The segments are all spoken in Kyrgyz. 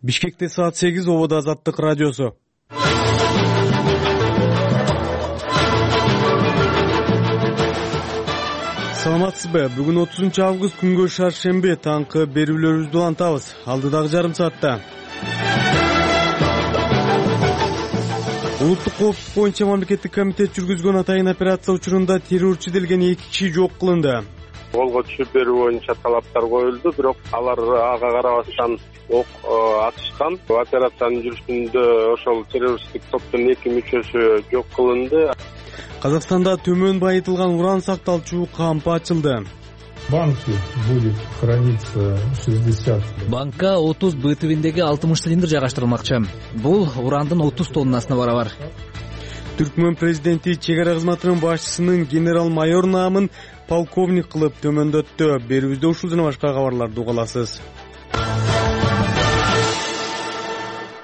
Бишкекте саат 8, ободо Азаттык радиосу. Саламатсызбы? Бүгүн 30-август күнгө шаршемби, таңкы берүүлөрүбүздү улантабыз. Алдыдагы жарым саатта улуттук коопсуздук боюнча мамлекеттик комитет жүргүзгөн атайын операция учурунда террорчу делген 2 киши жок кылынды. Колго түшүп берүү боюнча талаптар коюлду, бирок алар ага карабастан ок атышкан. Операциянын жүрүшүндө ошол террористтик топтун 2 мүчөсү жок кылынды. Казакстанда төмөн байытылган уран сакталчу кампы ачылды. Банке будет храниться 60. Банкка 30 БТВиндеги 60 цилиндр жайгаштырылмакчы. Бул урандын 30 тоннасына барабар. Түркмөн президенти чек ара кызматынын башчысынын генерал-майор наамын полковник кылып төмөндөттү. Берүүбүздө ушул жана башка кабарларды уга аласыз.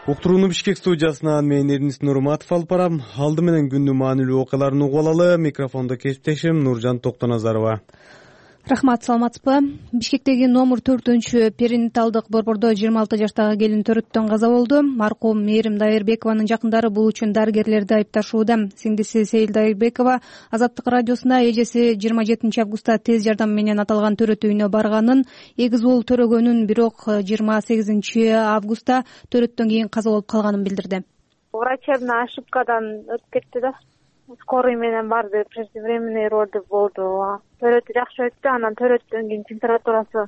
Уктурууну Бишкек студиясынан мен Эрнис Нурматов алып барам. Алды менен күндүн маанилүү окуяларын угуп алалы. Микрофондо кесиптешим Нуржан Токтоназарова. Рахмат, саламатсызбы? Бишкектеги номер 4-перинаталдык борбордо 26 жаштагы келин төрөттөн каза болду. Маркум Мээрим Дайырбекованын жакындары бул үчүн дарыгерлерди айыпташууда. Сиңдиси Сейил Дайырбекова Азаттык радиосуна эжеси 27 августта тез жардам менен аталган төрөт үйүнө барганын, эгиз уул төрөгөнүн, бирок 28 августта төрөттөн кийин каза болуп калганын билдирди. Врачебный ошибкадан өтүп кетти да. Скорый менен барды, преждевременный роды болду. Төрөтү жакшы өттү, анан төрөттөн кийин температурасы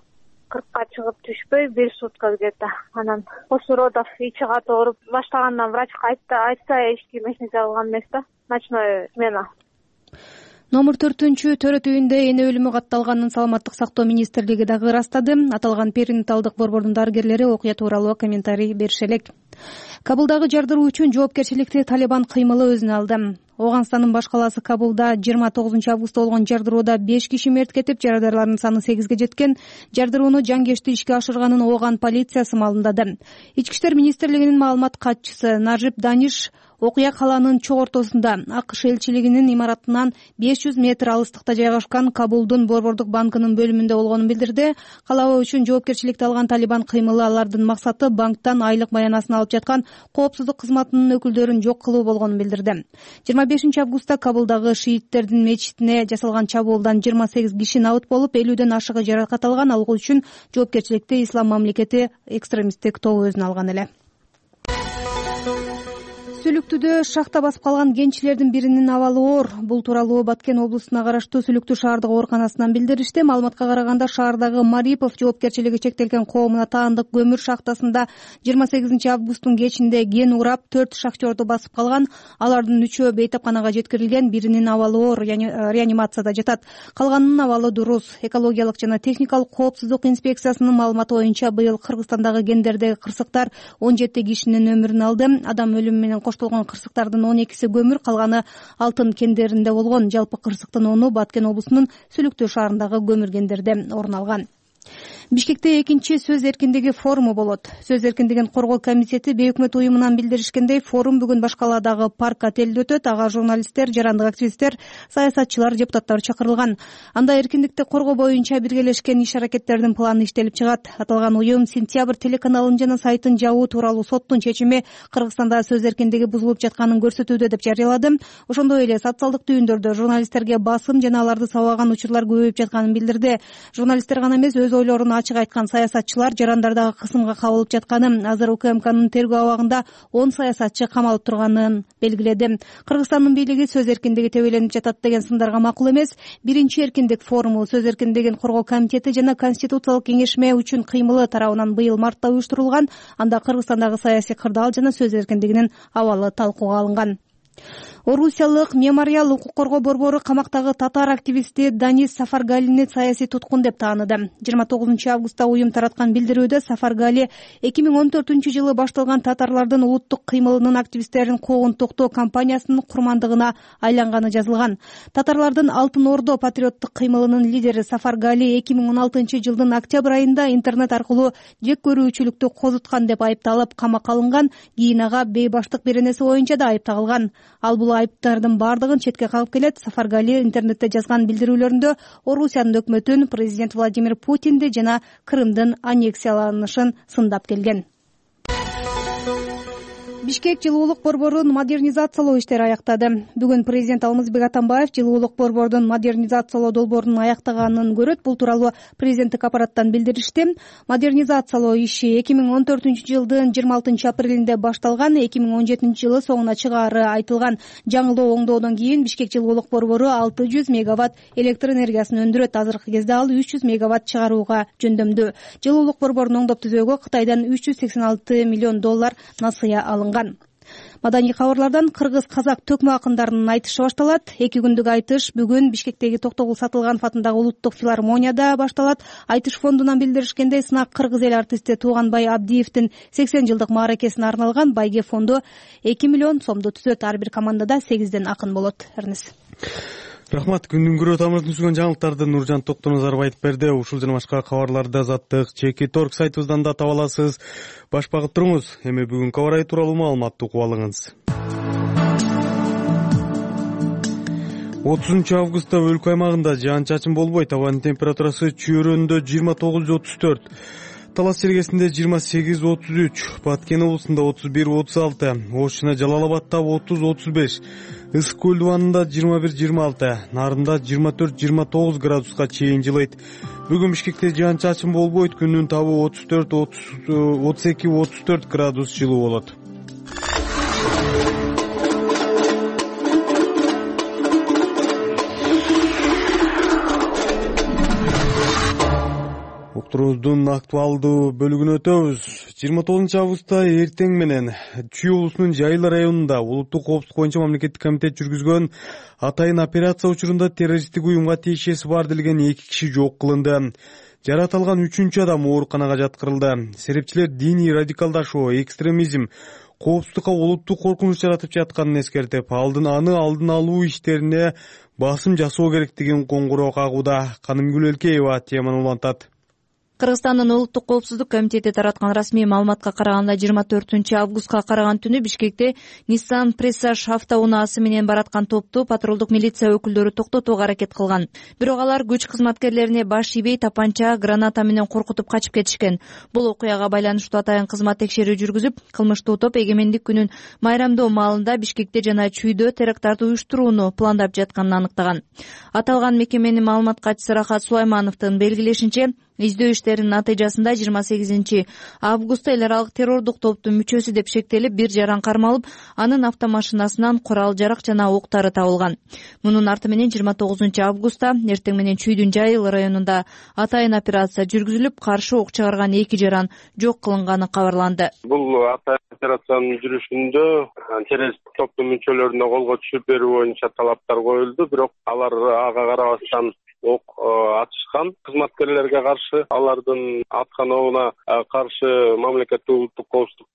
40ка чыгып түшпөй 1 сутка где-то. Анан после родов ичи катуу ооруп баштагандан врачка айтса эч ким эч нерсе кылган эмес да. Ночной смена. Номер 4-төрөт үйүндө эне өлүмү катталганын Саламаттык сактоо министрлиги дагы ырастады. Аталган перинаталдык борбордун дарыгерлери окуя тууралуу комментарий берише элек. Кабулдагы жардыруу үчүн жоопкерчиликти Талибан кыймылы өзүнө алды. Оганстандын баш калаасы Кабулда 29 августта болгон жардырууда 5 киши мерт кетип, жарадарлардын саны 8ге жеткен. Жардырууну жангечти ишке ашырганын Оган полициясы маалымдады. Ички иштер министрлигинин маалымат катчысы Нажиб Даниш окуя калаанын чок ортосунда АКШ элчилигинин имаратынан 500 метр алыстыкта жайгашкан Кабулдун борбордук банкынын бөлүмүндө болгонун билдирди. Калабоо үчүн жоопкерчиликти алган Талибан кыймылы алардын максаты банктан айлык баянасын алып жаткан коопсуздук кызматынын өкүлдөрүн жок кылуу болгонун билдирди. 25 августта Кабулдагы шииттердин мечитине жасалган чабуулдан 28 киши набыт болуп, 50ден ашыгы жаракат алган. Ал үчүн жоопкерчиликти Ислам мамлекети экстремисттик тобу өзүнө алган эле. Сүлүктүдө шахта басып калган кенчилердин биринин абалы оор. Бул тууралуу Баткен облусуна караштуу Сүлүктүү шаардык ооруканасынан билдиришти. Маалыматка караганда, шаардагы Марипов жоопкерчилиги чектелген коомуна таандык көмүр шахтасында 28 августтун кечинде кен урап 4 шахтерду басып калган. Алардын 3-өө бейтапканага жеткирилген, биринин абалы оор, реанимацияда жатат. Калганынын абалы дурус. Экологиялык жана техникалык коопсуздук инспекциясынын маалыматы боюнча, быйыл Кыргызстандагы кендердеги кырсыктар 17 кишинин өмүрүн алды. Адам өлүмү менен коштолгон кырсыктардын 12-си көмүр, калганы алтын кендеринде болгон. Жалпы кырсыктын 10-у Баткен облусунун Сүлүктүү шаарындагы көмүр кендерде орун алган. Бишкекте экинчи сөз эркиндиги форуму болот. Сөз эркиндигин коргоо комитети бейөкмөт уюмунан билдиришкендей, форум бүгүн Башкаладагы парк отелде өтөт. Ага журналисттер, жарандык активисттер, саясатчылар, депутаттар чакырылган. Анда эркиндикти коргоо боюнча биргелешкен иш-аракеттердин планы иштелип чыгат. Аталган уюм Сентябрь телеканалын жана сайтын жабуу тууралуу соттун чечими Кыргызстанда сөз эркиндиги бузулуп жатканын көрсөтүүдө деп жарыялады. Ошондой эле социалдык түйүндөрдө журналисттерге басым жана аларды сабаган учурлар көбөйүп жатканын билдирди. Журналисттер гана эмес, өз ойлорун ачык айткан саясатчылар жарандардагы кысымга кабылып жатканын, азыр УКМКнын тергөө абагында 10 саясатчы камалып турганын белгиледи. Кыргызстандын бийлиги сөз эркиндиги тебеленип жатат деген сындарга макул эмес. Биринчи эркиндик форуму сөз эркиндигин коргоо комитети жана Конституциялык кеңешме үчүн кыймылы тарабынан быйыл мартта уюштурулган. Анда Кыргызстандагы саясий кырдаал жана сөз эркиндигинин абалы талкууга алынган. Орусиялык мемориал укук коргоо борбору камактагы татар активисти Данис Сафаргалини саясий туткун деп тааныды. 29 августта уюм тараткан билдирүүдө Сафаргали 2014-жылы башталган татарлардын улуттук кыймылынын активисттерин куугун токтоо кампаниясынын курмандыгына айланганы жазылган. Татарлардын Алтын Ордо патриоттук кыймылынын лидери Сафаргали 2016-жылдын октябрь айында интернет аркылуу жек көрүүчүлүктү козуткан деп айыпталып камакка алынган. Кийин ага бейбаштык беренеси боюнча да айып тагылган. Ал бул айыптардын бардыгын четке кагып келет. Сафаргали интернетте жазган билдирүүлөрүндө Орусиянын өкмөтүн, президент Владимир Путинди жана Крымдын аннексияланышын сындап келген. Бишкек жылуулук борборун модернизациялоо иштери аяктады. Бүгүн президент Алмазбек Атамбаев жылуулук борбордун модернизациялоо долбоорун аяктаганын көрөт. Бул тууралуу президенттик аппараттан билдиришти. Модернизациялоо иши 2014-жылдын 26-апрелинде башталган. 2017-жылы соңуна чыгаары айтылган. Жаңылоо оңдоодон кийин Бишкек жылуулук борбору 600 мегаватт электр энергиясын өндүрөт. Азыркы кезде ал 300 мегаватт чыгарууга жөндөмдүү. Жылуулук борборун оңдоп түзөөгө Кытайдан $386 миллион насыя алынган. Маданий кабарлардан кыргыз-казак төкмө акындарынын айтышы башталат. 2 күндүк айтыш бүгүн Бишкектеги Токтогул Сатылганов атындагы улуттук филармонияда башталат. Айтыш фондунан билдиришкендей, сынак кыргыз эл артисти Тууганбай Абдиевдин 80 жылдык мааракесине арналган. Байге фонду 2 миллион сомду түзөт. Ар бир командада 8ден акын болот. Рахмат. Күндүн көрө тамырын түшкөн жаңылыктарды Нуржан Токтоназаров айтып берди. Ушул жана башка кабарларды азаттык Чеки.Торг сайтыбыздан да таба аласыз. Баш багып туруңуз. Эми бүгүнкү аба ырайы тууралуу маалыматты угуп алыңыз. 30 августта өлкө аймагында жаан-чачын болбойт. Абанын температурасы Чүйөрөндө 29-34. Талас Сергесинде 28-33, Баткен облусунда 31-36, Ош жана Жалал-Абадда 30-35, Ысык көл дубанында 21-26, Нарында 24-29 градуска чейин жылыйт. Бүгүн Бишкекте жаан-чачын болбойт, күндүн табы 32-34 градус жылуу болот. Уктуруубуздун актуалдуу бөлүгүнө өтөбүз. 29 августта эртең менен Чүй облусунун Жайыл районунда улуттук коопсуздук боюнча мамлекеттик комитет жүргүзгөн атайын операция учурунда террористтик уюмга тиешеси бар делген 2 киши жок кылынды. Жаратылган 3-чү адам ооруканага жаткырылды. Серепчилер диний радикалдашуу, экстремизм, коопсуздукка улуттук коркунуч жаратып жатканын эскертип, аны алдын алуу иштерине басым жасоо керектигин коңгуроо кагууда. Канымгүл Элкеева теманы улантат. Кыргызстандын улуттук коопсуздук комитети тараткан расмий маалыматка караганда 24-августка караган түнү Бишкекте Nissan Presage автоунаасы менен бараткан топту патрулдук милиция өкүлдөрү токтотууга аракет кылган. Бирок алар күч кызматкерлерине баш ийбей тапанча, граната менен коркутуп качып кетишкен. Бул окуяга байланыштуу атайын кызмат текшерүү жүргүзүп, кылмыштуу топ эгемендик күнүн майрамдоо маалында Бишкекте жана Чүйдө теракттарды уюштурууну пландап жатканын аныктаган. Аталган мекеменин маалымат катчысы Рахат Сулаймановдун белгилешинче, издөө иштеринин натыйжасында 28 августта эл аралык террордук топтун мүчөсү деп шектелип, бир жаран кармалып, анын автомашинасынан курал-жарак жана октары табылган. Мунун арты менен 29 августта эртең менен Чүйдүн Жайыл районунда атайын операция жүргүзүлүп, каршы ок чыгарган 2 жаран жок кылынганы кабарланды. Бул атайын операциянын жүрүшүндө террористтик топтун мүчөлөрүнө колго түшүп берүү боюнча талаптар коюлду, бирок алар ага карабастан ок атышкан. Кызматкерлерге каршы, алардын аткан огуна каршы мамлекеттик улуттук коопсуздук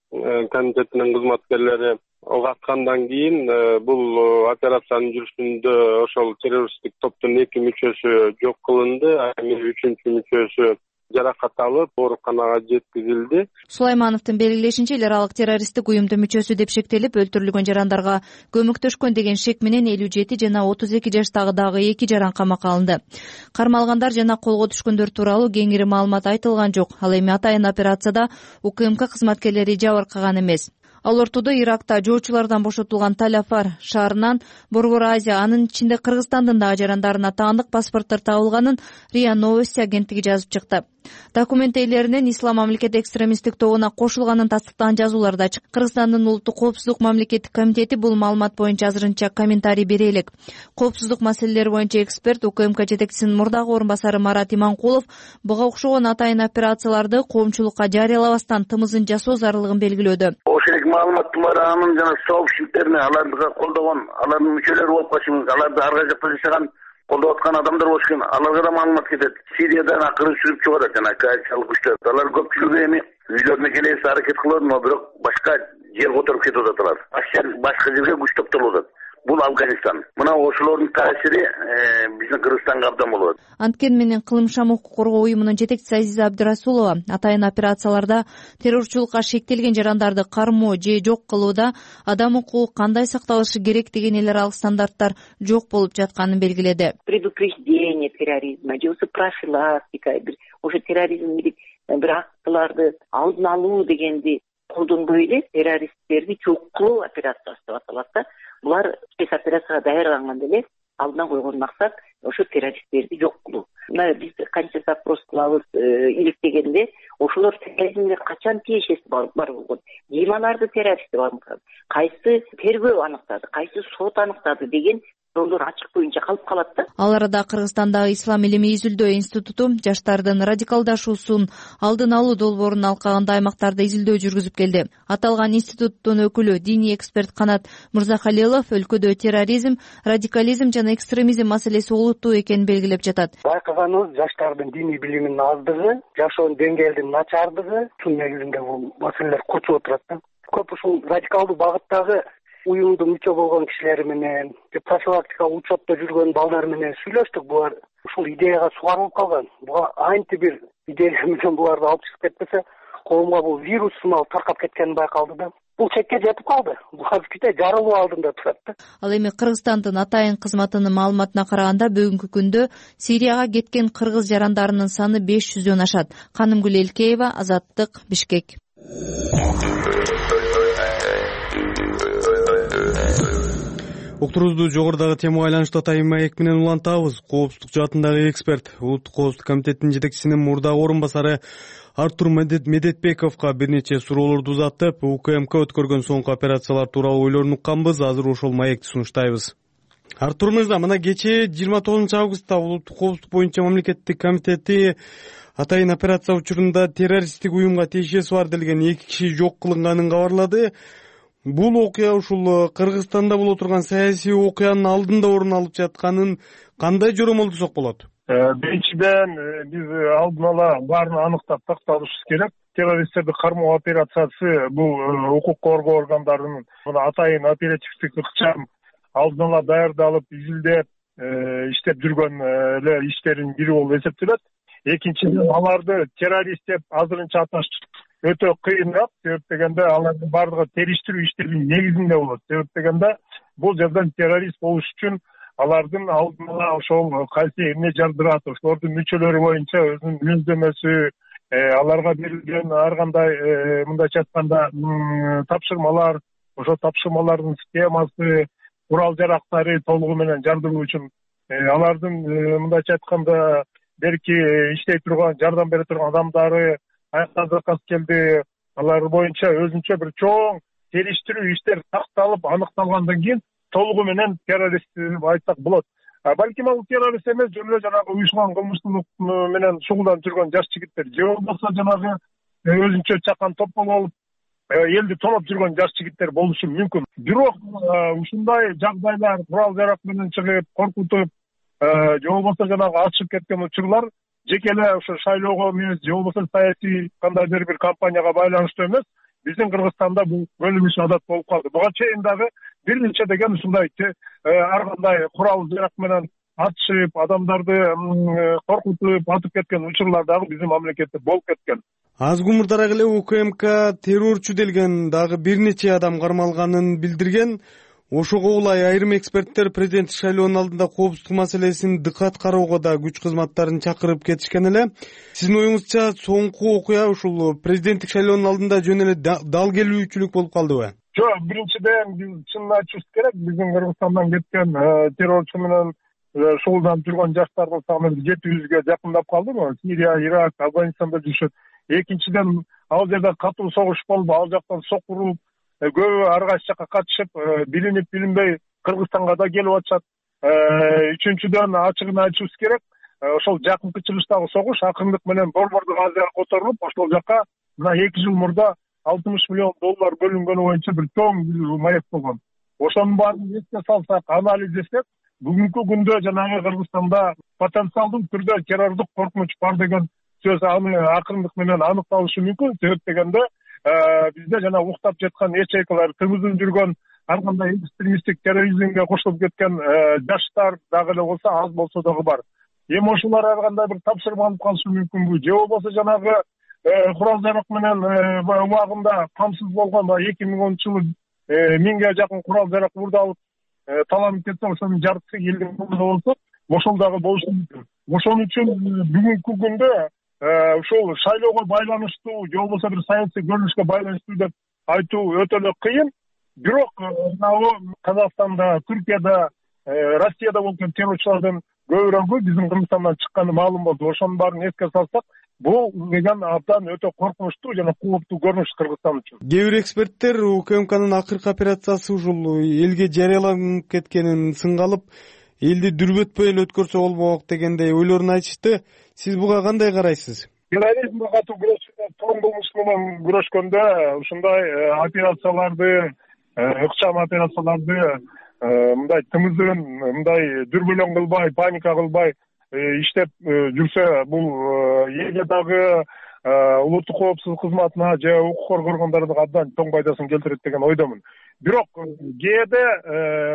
комитетинин кызматкерлери ок аткандан кийин бул операциянын жүрүшүндө ошол террористтик топтун 2 мүчөсү жок кылынды, эми 3-чү мүчөсү жаракат алып ооруканага жеткизилди. Сулаймановдун белгилешинче, эл аралык террористтик уюмдун мүчөсү деп шектелип, өлтүрүлгөн жарандарга көмөктөшкөн деген шек менен 57 жана 32 жаштагы дагы 2 жаран камакка алынды. Кармалгандар жана колго түшкөндөр тууралуу кеңири маалымат айтылган жок. Ал эми атайын операцияда УКМК кызматкерлери жабыркаган эмес. Ал ортодо Иракта жоочулардан бошотулган Талафар шаарынан Борбор Азия, анын ичинде Кыргызстандын дагы жарандарына таандык паспорттор табылганын РИА Новости агенттиги жазып чыкты. Документ ээлеринен Ислам мамлекет экстремисттик тобуна кошулганын тастыктаган жазуулар да чыкты. Кыргызстандын улуттук коопсуздук мамлекеттик комитети бул маалымат боюнча азырынча комментарий бере элек. Коопсуздук маселелери боюнча эксперт УКМК жетекчисинин мурдагы орун басары Марат Иманкулов буга окшогон атайын операцияларды коомчулукка жарыялабастан тымызын жасоо зарылыгын белгилөөдө. Ошол маалыматтар анын жана сообществолорун аларды колдогон, алардын мүчөлөрү болуп калышыбыз, аларды арга жакта жашаган колдоп аткан адамдар болуш керек. Аларга да маалымат кетет. Сириядан акырын сүрүп чыгарат жана коалициялык күчтөр. Алар көпчүлүгү эми үйлөрүнө келебиз аракет кылат, бирок башка жер которуп кетип атат. Башка жерге күч топтолуп атат. Бул Афганистан. Мына ошолордун таасири биздин Кыргызстанга абдан болот. Анткени менен Кылымшам укук коргоо уюмунун жетекчиси Азиза Абдырасулова атайын операцияларда террорчулукка шектелген жарандарды кармоо же жок кылууда адам укугу кандай сакталышы керек деген эл аралык стандарттар жок болуп жатканын белгиледи. Предупреждение терроризма, же профилактика, уже терроризм бир актыларды алдын алуу дегенди колдонбой эле террористтерди жок кылуу операциясы деп аталат да. Булар спецоперацияга даярданганда эле алдына койгон максат ошо террористтерди жок кылуу. Мына биз канча запрос кылабыз иликтегенде ошолор терроризмге качан тиешеси бар болгон, ким аларды террорист деп аныктады, кайсы тергөө аныктады, кайсы сот аныктады деген жолдор ачык боюнча калып калат да. Ал арада Кыргызстандагы Ислам илими изилдөө институту жаштардын радикалдашуусун алдын алуу долбоорунун алкагында аймактарда изилдөө жүргүзүп келди. Аталган институттун өкүлү диний эксперт Канат Мырзахалилов өлкөдө терроризм, радикализм жана экстремизм маселеси олуттуу экенин белгилеп жатат. Байкаганыбыз жаштардын диний билиминин аздыгы, жашоо деңгээлинин начардыгы ушул негизинде бул маселелер кочуп отурат да. Көп ушул радикалдуу багыттагы уюмдун мүчө болгон кишилери менен, профилактикалык учетто жүргөн балдар менен сүйлөштүк. Булар ушул идеяга сугарылып калган. Буга анти бир идея менен буларды алып чыгып кетпесе, коомго бул вирус сымал таркап кеткени байкалды да. Бул чекке жетип калды. Бул азыркыта жарылуу алдында турат да. Ал эми Кыргызстандын атайын кызматынын маалыматына караганда бүгүнкү күндө Сирияга кеткен кыргыз жарандарынын саны 500дөн ашат. Канымгүл Элкеева, Азаттык, Бишкек. Уктурубузду жогорудагы темага байланыштуу атайын маек менен улантабыз. Коопсуздук жаатындагы эксперт, Улуттук коопсуздук комитетинин жетекчисинин мурдагы орун басары Артур Медетбековго бир нече суроолорду узаттып, УКМК өткөргөн соңку операциялар тууралуу ойлорун укканбыз. Азыр ошол маекти сунуштайбыз. Артур мырза, мына кечээ 29 августта Улуттук коопсуздук боюнча мамлекеттик комитети атайын операция учурунда террористтик уюмга тиешеси бар делген 2 киши жок кылынганын кабарлады. Бул окуя ушул Кыргызстанда боло турган саясий окуянын алдында орун алып жатканын кандай жоромолдусок болот? Биринчиден биз алдын ала баарын аныктап такталышыбыз керек. Террористтерди кармоо операциясы бул укук коргоо органдарынын атайын оперативдик ыкчам алдын ала даярдалып, изилдеп, иштеп жүргөн эле иштердин бири болуп эсептелет. Экинчиден аларды террорист деп азырынча аташ өтө кыйыныраак. Себеп дегенде алардын баардыгы териштирүү иштеринин негизинде болот. Себеп дегенде бул жерден террорист болуш үчүн алардын алдын ала ошол кайсы эмне жардырат, ошолордун мүчөлөрү боюнча өзүнүн мүнөздөмөсү, аларга берилген ар кандай мындайча айтканда тапшырмалар, ошол тапшырмалардын схемасы, курал жарактары толугу менен жардыруу үчүн алардын мындайча айтканда берки иштей турган, жардам бере турган адамдары аяктан заказ келди. Алар боюнча өзүнчө бир чоң териштирүү иштер такталып, аныкталгандан кийин толугу менен террорист деп айтсак болот. Балким ал террорист эмес, жөн эле жанагы уюшкан кылмыштуулук менен шугулданып жүргөн жаш жигиттер, же болбосо жанагы өзүнчө чакан топ болуп элди тоноп жүргөн жаш жигиттер болушу мүмкүн. Бирок ушундай жагдайлар курал жарак менен чыгып, коркутуп, же болбосо жанагы ачып кеткен учурлар жеке эле ошо шайлоого эмес, же болбосо саясий кандайдыр бир кампанияга байланыштуу эмес, биздин Кыргызстанда бул бөлүнүш адат болуп калды. Буга чейин дагы бир нече деген ушундай ар кандай курал жарак менен атышып, адамдарды коркутуп атып кеткен учурлар дагы биздин мамлекетте болуп кеткен. Аз мурдараак эле УКМК террорчу делген дагы бир нече адам кармалганын билдирген. Ошого улай айрым эксперттер президенттик шайлоонун алдында коопсуздук маселесин дыкат кароого да күч кызматтарын чакырып кетишкен эле. Сиздин оюңузча соңку окуя ушул президенттик шайлоонун алдында жөн эле дал келүүчүлүк болуп калдыбы? Жок, биринчиден биз чынын айтышыбыз керек, биздин Кыргызстандан кеткен террорчу менен шугулданып жүргөн жаштардын саны 700ге жакындап калды. Сирия, Ирак, Афганистанда жүрүшөт. Экинчиден ал жерде катуу согуш болуп, ал жактан сокуруп, көбү ар кайсы жакка качышып, билинип билинбей Кыргызстанга да келип атышат. Үчүнчүдөн ачыгын айтышыбыз керек, ошол жакынкы чыгыштагы согуш акырындык менен борбордук Азияга которулуп, ошол жака мына 2 жыл мурда $60 миллион бөлүнгөнү боюнча бир чоң маек болгон. Ошонун баарын эске салсак, анализдесек, бүгүнкү күндө жанагы Кыргызстанда потенциалдуу түрдө террордук коркунуч бар деген сөз аны акырындык менен аныкталышы мүмкүн. Себеп дегенде бизде жана уктап жаткан ячейкалар, тыгызын жүргөн ар кандай экстремисттик терроризмге кошулуп кеткен жаштар дагы эле болсо, аз болсо дагы бар. Эми ошолор ар кандай бир тапшырма алып калышы мүмкүнбү, же болбосо жанагы курал жарак менен убагында камсыз болгон 2010-жылы 1000ге жакын курал жарак уурдалып таланып кетсе, ошонун жартысы элдин колунда болсо, ошол дагы болушу мүмкүн. Ошон үчүн бүгүнкү күндө ушул шайлоого байланыштуу, же болбосо бир саясий көрүнүшкө байланыштуу деп айтуу өтө эле кыйын. Бирок Казакстанда, Түркияда, Россияда болгон террорчулардын көбүрөөгү биздин Кыргызстандан чыкканы маалым болду. Ошонун баарын эске салсак, бул деген абдан өтө коркунучтуу жана кооптуу көрүнүш Кыргызстан үчүн. Кээ бир эксперттер УКМКнын акыркы операциясы ушул элге жарыяланып кеткенин сынга алып, элди дүрбөтпөй эле өткөрсө болмок дегендей ойлорун айтышты. Сиз буга кандай карайсыз? Терроризмге катуу күрөшкөндө, тоң кылмыш менен күрөшкөндө ушундай операцияларды, ыкчам операцияларды мындай тымыздын, мындай дүрбөлөң кылбай, паника кылбай иштеп жүрсө, бул элге дагы улуттук коопсуздук кызматына же укук коргоо органдарына абдан тоң пайдасын келтирет деген ойдомун. Бирок кээде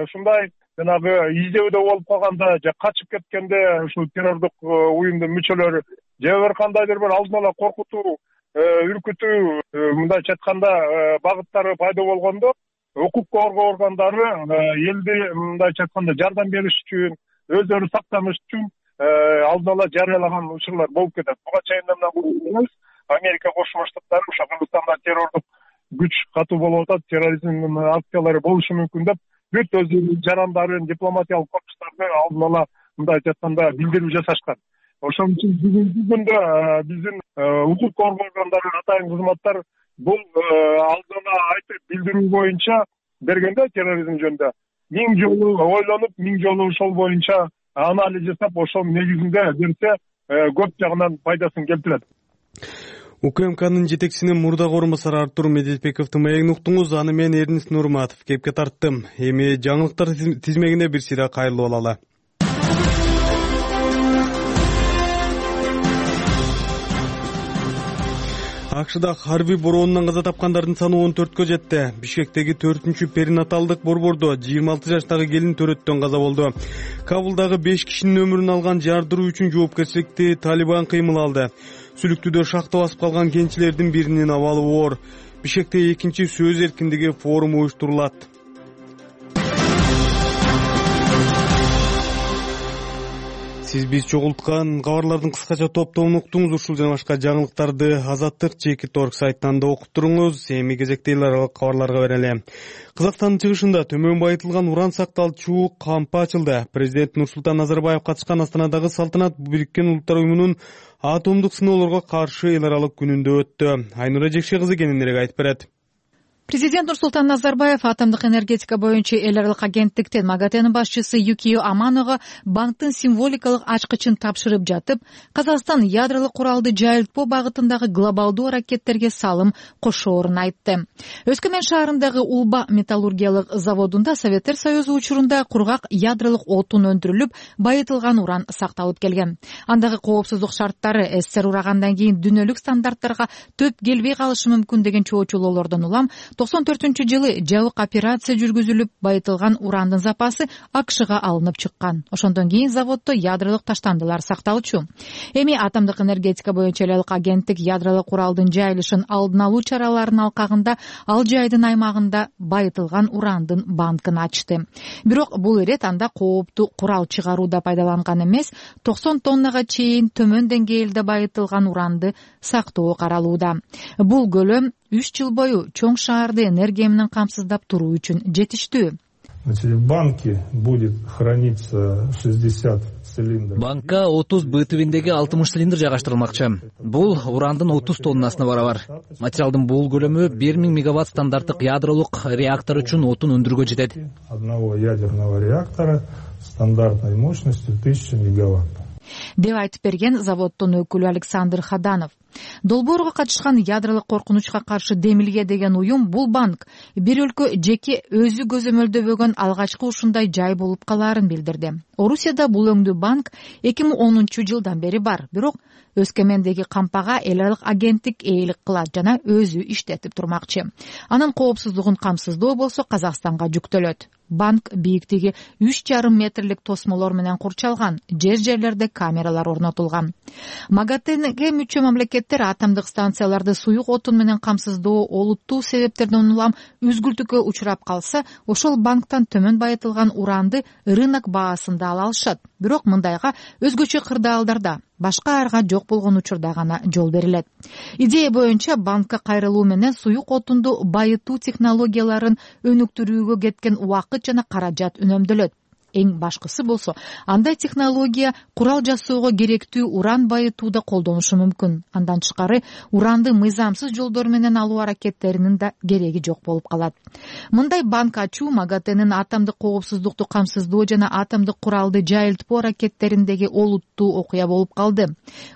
ушундай жанагы издөөдө болуп калганда же качып кеткенде ушул террордук уюмдун мүчөлөрү же бир кандайдыр бир алдын ала коркутуу, үркүтүү, мындайча айтканда багыттары пайда болгондо, укук коргоо органдары элди мындайча айтканда жардам бериш үчүн, өздөрү сактаныш үчүн алдын ала жарыялаган учурлар болуп кетет. Буга чейин эмес, Америка Кошмо Штаттары ошо Кыргызстанда террордук күч катуу болуп атат, терроризмдин акциялары болушу мүмкүн деп бүт өздөрүнүн жарандарын, дипломатиялык корпустарды алдын ала мындайча айтканда билдирүү жасашкан. Ошон үчүн бүгүнкү күндө биздин укук коргоо органдары, атайын кызматтар бул алдын ала айтып билдирүү боюнча бергенде терроризм жөнүндө 1000 жолу ойлонуп, 1000 жолу ошол боюнча анализ жасап, ошонун негизинде берсе көп жагынан пайдасын келтирет. УКМКнын жетекчисинин мурдагы орун басары Артур Медетбековдун маегин уктуңуз. Аны мен Эрнис Нурматов кепке тарттым. Эми жаңылыктар тизмегине бир сыйра кайрылып алалы. АКШда Харви бороонунан каза тапкандардын саны 14кө жетти. Бишкектеги 4-чү перинаталдык борбордо 26 жаштагы келин төрөттөн каза болду. Кабулдагы 5 кишинин өмүрүн алган жардыруу үчүн жоопкерчиликти Талибан кыймыл алды. Сүлүктүдө шахта басып калган кенчилердин биринин абалы оор. Бишкекте 2-чи сөз эркиндиги форуму уюштурулат. Сиз биз чогулткан кабарлардын кыскача топтомун уктуңуз. Ушул жана башка жаңылыктарды Азаттык Чекит.орг сайтынан да окуп туруңуз. Эми кезекте эл аралык кабарларга берели. Казакстандын чыгышында төмөн байытылган уран сакталчу кампы ачылды. Президент Нурсултан Назарбаев катышкан Астанадагы салтанат Бириккен Улуттар уюмунун атомдук сыноолорго каршы эл аралык күнүндө өттү. Айнура Жекше кызы кененирээк айтып берет. Президент Нурсултан Назарбаев атомдук энергетика боюнча эл аралык агенттиктин МАГАТЭнин башчысы Юкио Аманога банктын символикалык ачкычын тапшырып жатып, Казакстан ядролук куралды жайылтпоо багытындагы глобалдуу аракеттерге салым кошоорун айтты. Өскөмен шаарындагы Улба металлургиялык заводунда Советтер Союзу учурунда кургак ядролук отун өндүрүлүп, байытылган уран сакталып келген. Андагы коопсуздук шарттары СССР урагандан кийин дүйнөлүк стандарттарга төп келбей калышы мүмкүн деген чоочулоолордон улам 94-жылы жабык операция жүргүзүлүп, байытылган урандын запасы АКШга алынып чыккан. Ошондон кийин заводдо ядролук таштандылар сакталчу. Эми атомдук энергетика боюнча эл аралык агенттик ядролук куралдын жайылышын алдын алуу чараларынын алкагында ал жайдын аймагында байытылган урандын банкын ачты. Бирок бул ирет анда кооптуу курал чыгарууда пайдаланган эмес, 90 тоннага чейин төмөн деңгээлде байытылган уранды сактоо каралууда. Бул көлөм 3 жыл бою чоң шаарды энергия менен камсыздап туруу үчүн жетиштүү. В банке будет храниться 60 цилиндров. Банкка 30 Б тибиндеги 60 цилиндр жайгаштырылмакчы. Бул урандын 30 тоннасына барабар. Материалдын бул көлөмү 1000 мегаватт стандарттык ядролук реактор үчүн отун өндүрүүгө жетет. Одного ядерного реактора стандартной мощностью 1000 мегаватт. Деп айтып берген заводдун өкүлү Александр Хаданов. Долбоорго катышкан ядролук коркунучка каршы Демилге деген уюм бул банк бир өлкө жеке өзү көзөмөлдөбөгөн алгачкы ушундай жай болуп калаарын билдирди. Орусияда бул өңдүү банк 2010-жылдан бери бар, бирок Өскөмендеги кампага эл аралык агенттик ээлик кылат жана өзү иштетип турмакчы. Анын коопсуздугун камсыздоо болсо Казакстанга жүктөлөт. Банк бийиктиги 3,5 метрлик тосмолор менен курчалган, жерлерде камералар орнотулган. МАГАТЭнге мүчө мамлекеттер атомдук станцияларды суюк отун менен камсыздоо олуттуу себептерден улам үзгүлтүккө учурап калса, ошол банктан төмөн байытылган уранды рынок баасында ала алышат. Бирок мындайга өзгөчө кырдаалдарда башка арга жок болгон учурда гана жол берилет. Идея боюнча банкка кайрылуу менен суюк отунду байытуу технологияларын өнүктүрүүгө кеткен убакыт жана каражат үнөмдөлөт. Эң башкысы болсо, андай технология курал жасоого керектүү уран байытууда колдонушу мүмкүн. Андан тышкары уранды мыйзамсыз жолдор менен алуу аракеттеринин да кереги жок болуп калат. Мындай банк ачуу МАГАТЭнин атомдук коопсуздукту камсыздоо жана атомдук куралды жайылтпоо аракеттериндеги олуттуу окуя болуп калды.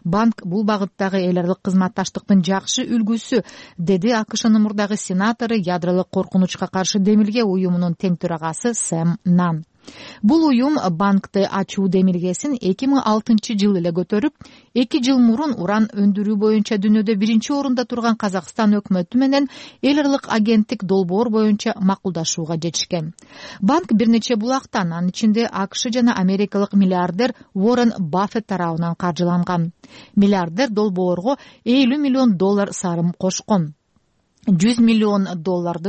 Банк бул багыттагы эл аралык кызматташтыктын жакшы үлгүсү, деди АКШнын мурдагы сенатору, ядролук коркунучка каршы демилге уюмунун тең төрагасы Сэм Нан. Бул уюм банкты ачуу демилгесин 2006 эле көтөрүп, 2 жыл мурун уран өндүрүү боюнча дүйнөдө 1-орунда турган Казакстан өкмөтү менен эл аралык агенттик долбоор боюнча макулдашууга жетишкен. Банк бир нече булактан, анын ичинде АКШ жана америкалык миллиардер Уоррен Баффет тарабынан каржыланган. Миллиардер долбоорго $50 миллион сарым кошкон. $100 миллион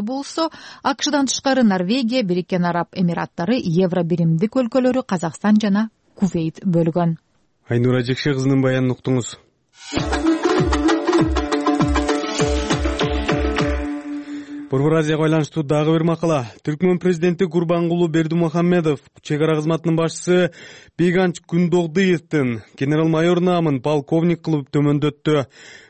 болсо, АКШдан тышкары Норвегия, Бириккен Араб Эмираттары, Евро биримдик өлкөлөрү, Казакстан жана Кувейт бөлгөн. Айнура Жекше кызынын баянын уктуңуз. Борбор Азияга байланыштуу дагы бир макала. Түркмөн президенти Гурбангулу Бердимухамедов чек ара кызматынын башчысы Бейганч Күндогдиевдин генерал-майор наамын полковник кылып төмөндөттү.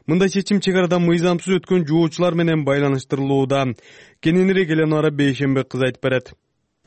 Мындай чечим чек арадан мыйзамсыз өткөн жоочулар менен байланыштырылууда. Кененирээк Эленора Бейшембек кыз айтып берет.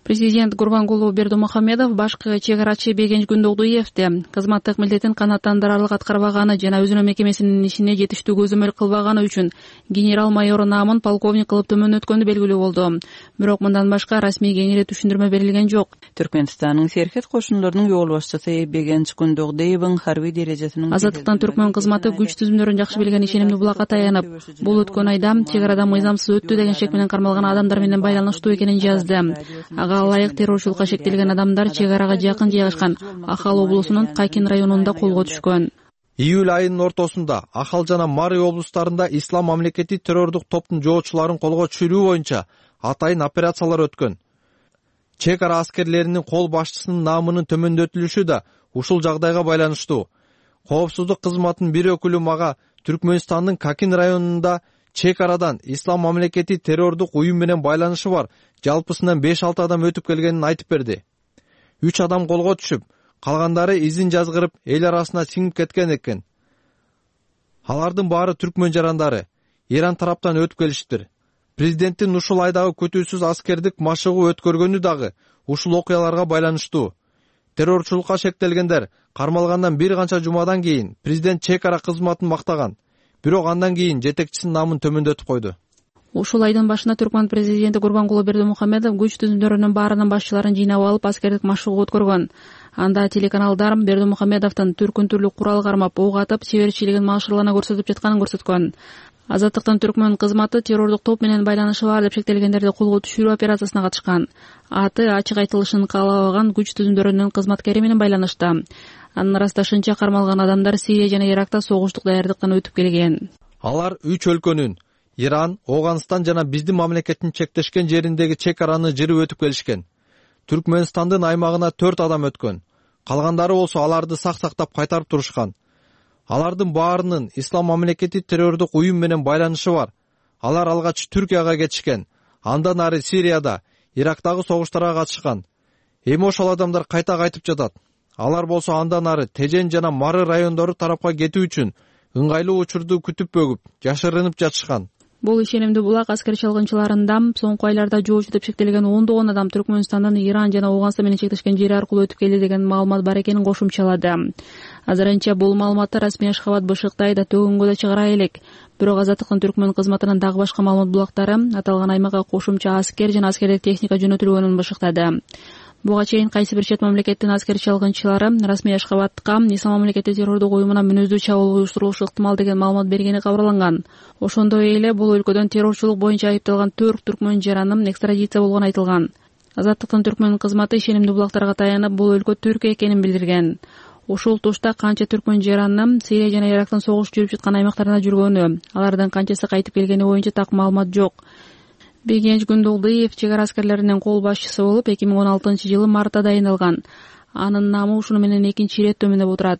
Президент Гурбангулу Бердимухамедов башкы чек арачы Бейганч Күндогдиевди кызматтык милдетин канааттандырарлык аткарбаганы жана өзүнүн мекемесинин ишине жетиштүү көзөмөл кылбаганы үчүн генерал-майор наамын полковник кылып төмөндөткөнү белгилүү болду. Бирок мындан башка расмий кеңири түшүндүрмө берилген жок. Түркмөнстандын Серхет кошуналарынын жол башчысы Бейганч Күндогдиевдин харбий дережесинин Азаттыктын Түркмөн кызматы күч түзүмдөрүн жакшы билген ишенимдүү булакка таянып, бул өткөн айда чек арадан мыйзамсыз өттү деген шек менен кармалган адамдар менен байланыштуу экенин жазды. Ылайык террорчулукка шектелген адамдар чек арага жакын жайгашкан Ахал облусунун Какин районунда колго түшкөн. Июль айынын ортосунда Ахал жана Мари облустарында Ислам мамлекети террордук топтун жоочуларын колго түшүрүү боюнча атайын операциялар өткөн. Чек ара аскерлеринин кол башчысынын наамынын төмөндөтүлүшү да ушул жагдайга байланыштуу. Коопсуздук кызматынын бир өкүлү мага Түркмөнстандын Какин районунда чек арадан Ислам мамлекети террордук уюм менен байланышы бар жалпысынан 5-6 адам өтүп келгенин айтып берди. 3 адам колго түшүп, калгандары изин жазгырып эл арасына сиңип кеткен экен. Алардын баары түркмөн жарандары, Иран тараптан өтүп келишиптир. Президенттин ушул айдагы күтүүсүз аскердик машыгуу өткөргөнү дагы ушул окуяларга байланыштуу. Террорчулукка шектелгендер кармалгандан бир канча жумадан кийин президент чек ара кызматын мактаган. Бирок андан кийин жетекчисинин наамын төмөндөтүп койду. Ушул айдын башында Түркмөн президенти Гурбангулу Бердимухамедов күч түзүмдөрүнүн баарынын башчыларын жыйнап алып аскердик машыгуу өткөргөн. Анда телеканалдар Бердимухамедовдун түркүн түрлүү курал кармап, ок атып, чеберчилигин машырлана көрсөтүп жатканын көрсөткөн. Азаттыктын Түркмөн кызматы террордук топ менен байланышы бар деп шектелгендерди колго түшүрүү операциясына катышкан. Аты ачык айтылышын каалабаган күч түзүмдөрүнүн кызматкери менен байланышта. Анын ырасташынча кармалган адамдар Сирия жана Иракта согуштук даярдыктан өтүп келген. Алар 3 өлкөнүн Иран, Оганстан жана биздин мамлекеттин чектешкен жериндеги чек араны жырып өтүп келишкен. Түркмөнстандын аймагына 4 адам өткөн. Калгандары болсо аларды сактап кайтарып турушкан. Алардын баарынын Ислам мамлекети террордук уюм менен байланышы бар. Алар алгач Түркияга кетишкен. Андан ары Сирияда, Ирактагы согуштарга катышкан. Эми ошол адамдар кайта кайтып жатат. Алар болсо андан ары Тежен жана Мары райондору тарапка кетүү үчүн ыңгайлуу учурду күтүп бөгүп, жашырынып жатышкан. Бул ишенимдүү булак аскер чалгынчыларында соңку айларда жоочу деп шектелген 10 адам Түркмөнстандан Иран жана Оганстан менен чектешкен жери аркылуу өтүп келди деген маалымат бар экенин кошумчалады. Азырынча бул маалыматты расмий Ашхабад бышыктай да төгөнгө да чыгара элек. Бирок Азаттыктын Түркмөн кызматынын дагы башка маалымат булактары аталган аймакка кошумча аскер жана аскердик техника жөнөтүлгөнүн бышыктады. Буга чейин кайсы бир чет мамлекеттин аскер чалгынчылары расмий Ашхабадка Ислам мамлекети террордук уюмуна мүнөздүү чабуул уюштурулушу ыктымал деген маалымат бергени кабарланган. Ошондой эле бул өлкөдөн террорчулук боюнча айыпталган 4 түркмөн жаранын экстрадиция болгону айтылган. Азаттыктын Түркмөн кызматы ишенимдүү булактарга таянып бул өлкө Түркия экенин билдирген. Ушул тушта канча түркмөн жаранын Сирия жана Ирактын согуш жүрүп жаткан аймактарында жүргөнү, алардын канчасы кайтып келгени боюнча так маалымат жок. Бейганч Күндогдиев чек ара аскерлеринин кол башчысы болуп 2016-жылы мартта дайындалган. Анын наамы ушуну менен экинчи ирет төмөндөп отурат.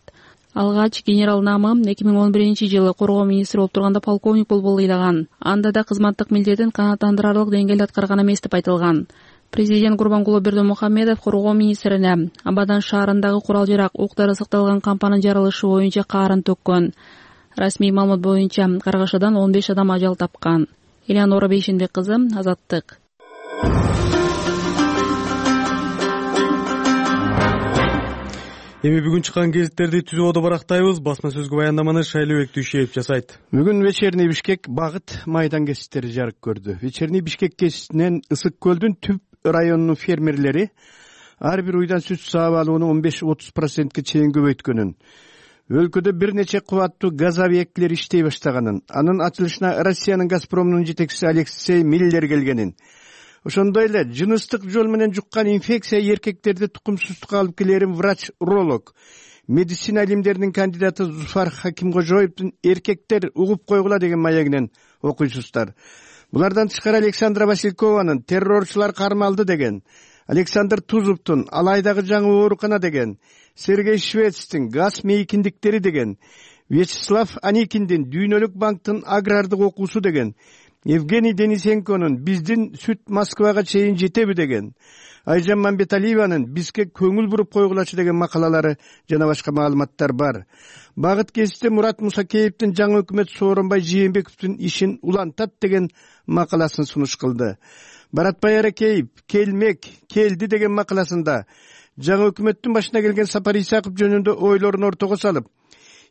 Алгач генерал намы 2011-жылы коргоо министри болуп турганда полковник болуп ыйлаган. Анда да кызматтык милдетин канааттандырарлык деңгээлде аткарган эмес деп айтылган. Президент Гурбангулы Бердимухамедов коргоо министрине Абадан шаарындагы курал-жарак, ук-дары сакталган кампанын жарылышы боюнча каарын төккөн. Расмий маалымат боюнча каргашадан 15 адам ажал тапкан. Элеонора Бейшенбек кызы, Азаттык. Эми бүгүн чыккан гезиттерди түзүүдө барактайбыз. Басма сөзгө баяндаманы Шайлообек Дүйшеев жасайт. Бүгүн Вечерний Бишкек багыт майдан гезиттери жарык көрдү. Вечерний Бишкек гезитинен Ысык көлдүн түп районунун фермерлери ар бир уйдан сүт саап алууну 15-30%ке чейин көбөйткөнүн, өлкөдө бир нече кубаттуу газ объектилери иштей баштаганын, анын ачылышына Россиянын Газпромунун жетекчиси Алексей Миллер келгенин, ошондой эле жыныстык жол менен жуккан инфекция эркектерди тукумсуздукка алып келерин врач-уролог, медицина илимдеринин кандидаты Зуфар Хакимкожоевдун «Эркектер угуп койгула» деген маегинен окуйсуздар. Булардан тышкары Александра Василькованын «Террорчулар кармалды» деген, Александр Тузовдун «Алайдагы жаңы оорукана» деген, Сергей Швецтин «Газ мейкиндиктери» деген, Вячеслав Аникиндин «Дүйнөлүк банктын агрардык окуусу» деген, Евгений Денисенконун «Биздин сүт Москвага чейин жетеби» деген, Айжан Мамбеталиеванын «Бизге көңүл буруп койгулачы» деген макалалары жана башка маалыматтар бар. Багыт гезитте Мурат Мусакеевдин жаңы өкмөт Сооронбай Жээнбековдун ишин улантат деген макаласын сунуш кылды. Баратбай Аракеев «Келмек, келди» деген макаласында жаңы өкмөттүн башына келген Сапар Исаков жөнүндө ойлорун ортого салып,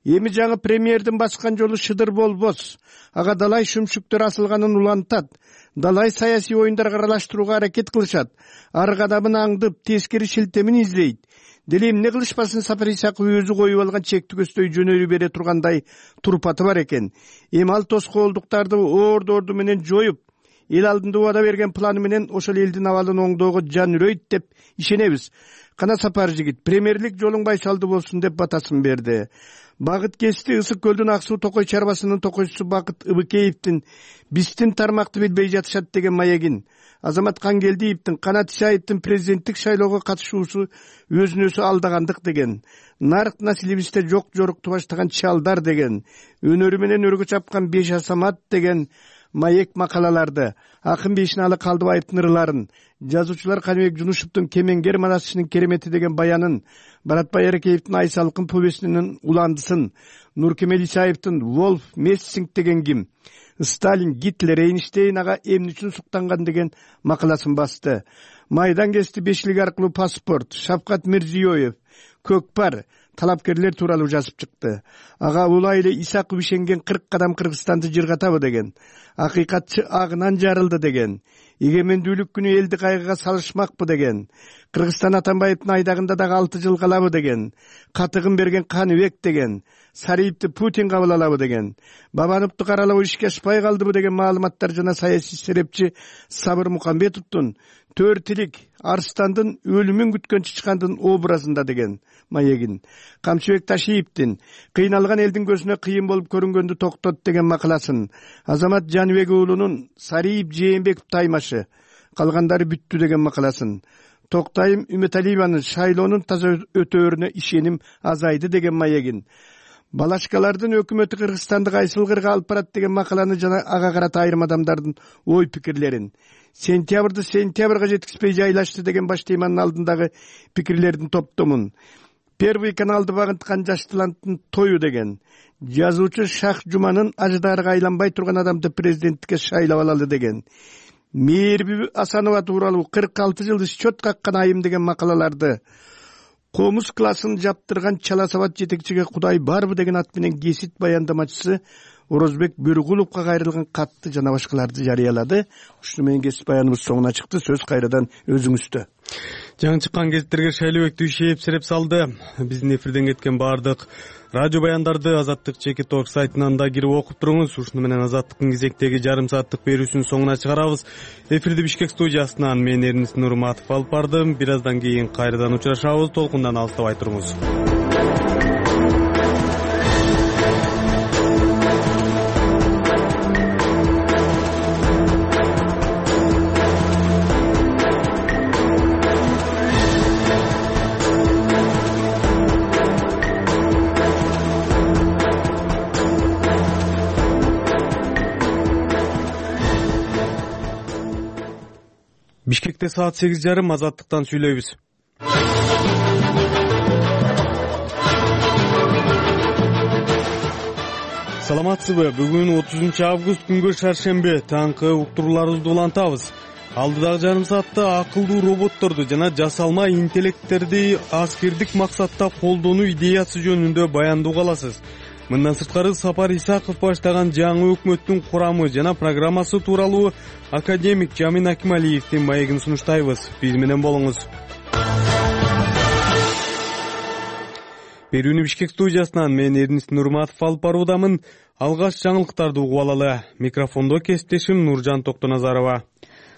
эми жаңы премьердин баскан жолу шыдыр болбос, ага далай шүмшүктөр асылганын улантат, далай саясий оюндарга аралаштырууга аракет кылышат, ар кадамын аңдып, тескери шилтемин издейт. Деле эмне кылышпасын, Сапар Исаков өзү коюп алган чектүү көздөй жөнөрү бере тургандай турпаты бар экен. Эми ал тоскоолдуктарды орду менен жоюп, эл алдында убада берген планы менен ошол элдин абалын оңдоого жан үрөйт деп ишенебиз. Кана Сапар жигит, премьерлик жолуң байсалдуу болсун деп батасын берди. Багыт гезити Ысык көлдүн Ак суу токой чарбасынын токойчусу Бакыт Ыбыкеевдин «Биздин тармакты билбей жатышат» деген маегин, Азамат Кангелдиевдин Канат Исаевдин президенттик шайлоого катышуусу өзүн өзү алдагандык деген, Нарык населебизде жок жорукту баштаган чалдар деген, өнөрү менен өргө чапкан 5 Асамат деген маек макалаларды, Акын Бейшиналы Калдыбаевдин ырларын, жазуучулар Каныбек Жунушевдун «Кемеңгер манасчынын керемети» деген баянын, Баратбай Аракеевдин «Айсалкын» повестинин уландысын, Нуркемел Исаевдин «Волф Мессинг» деген ким, Сталин, Гитлер, Эйнштейн ага эмне үчүн суктанган деген макаласын басты. Майдан гезити бешилик аркылуу паспорт, Шавкат Мирзиёев, Көкпар, талапкерлер тууралуу жазып чыкты. Ага улай эле Исаков ишенген 40 кадам Кыргызстанды жыргатабы деген, акыйкатчы агынан жарылды деген, эгемендүүлүк күнү элди кайгыга салышмакпы деген, Кыргызстан Атамбаевдин айдагында дагы 6 жыл калабы деген, катыгын берген Каныбек деген, Сариевди Путин кабыл алабы деген, Бабановду каралоо ишке ашпай калдыбы деген маалыматтар жана саясий серепчи Сабыр Мукамбетовдун «Төртилик Арстандын өлүмүн күткөн чычкандын образында» деген маегин, Камчыбек Ташиевдин «Кыйналган элдин көзүнө кыйын болуп көрүнгөндү токтот» деген макаласын, Азамат Жаныбек уулунун «Сариев Жээнбеков таймашы, калгандары бүттү» деген макаласын, Токтайым Үмөталиеванын «Шайлоонун таза өтөөрүнө ишеним азайды» деген маегин, Балашкалардын өкмөтү Кыргызстанды кайсыл кырга алып барат деген макаланы жана ага карата айрым адамдардын ой пикирлерин, сентябрды сентябрга жеткизбей жайлашты деген баш теманын алдындагы пикирлердин топтомун, Первый каналды багынткан жаш таланттын тою деген, жазуучу Шах Жуманын аждарга айланбай турган адамды президенттикке шайлап алалы деген, Мээрби Асанова тууралуу 46 жыл счет каккан айым деген макалаларды, Комуз классын жаптырган Чала Сабат жетекчиге Кудай барбы деген ат менен гезит баяндамачысы Орозбек Бөргуловго кайрылган катты жана башкаларды жарыялады. Ушуну менен гезит баяныбыз соңуна чыкты. Сөз кайрадан өзүңүздө. Жаңы чыккан гезиттерге Шайлообек Дүйшеев сереп салды. Биздин эфирден кеткен бардык радио баяндарды Азаттык Чекит Орг сайтынан да кирип окуп туруңуз. Ушуну менен Азаттыктын кезектеги жарым сааттык берүүсүн соңуна чыгарабыз. Эфирди Бишкек студиясынан мен Эрнис Нурматов алып бардым. Бир аздан кийин кайрадан учурашабыз. Толкундан алыстабай туруңуз. Бишкекте саат 8:30 Азаттыктан сүйлөйбүз. Саламатсызбы? Бүгүн 30 август күнгө шаршемби. Таңкы уктурууларыбызды улантабыз. Алдыдагы жарым саатта акылдуу роботторду жана жасалма интеллекттерди аскердик максатта колдонуу идеясы жөнүндө баяндоо аласыз. Мындан сырткары Сапар Исаков баштаган жаңы өкмөттүн курамы жана программасы тууралуу академик Жамин Акималиевдин маегин сунуштайбыз. Биз менен болуңуз. Берүүнү Бишкек студиясынан мен Эрнист Нурматов алып баруудамын. Алгаш жаңылыктарды угуп алалы. Микрофондо кесиптешим Нуржан Токтоназарова.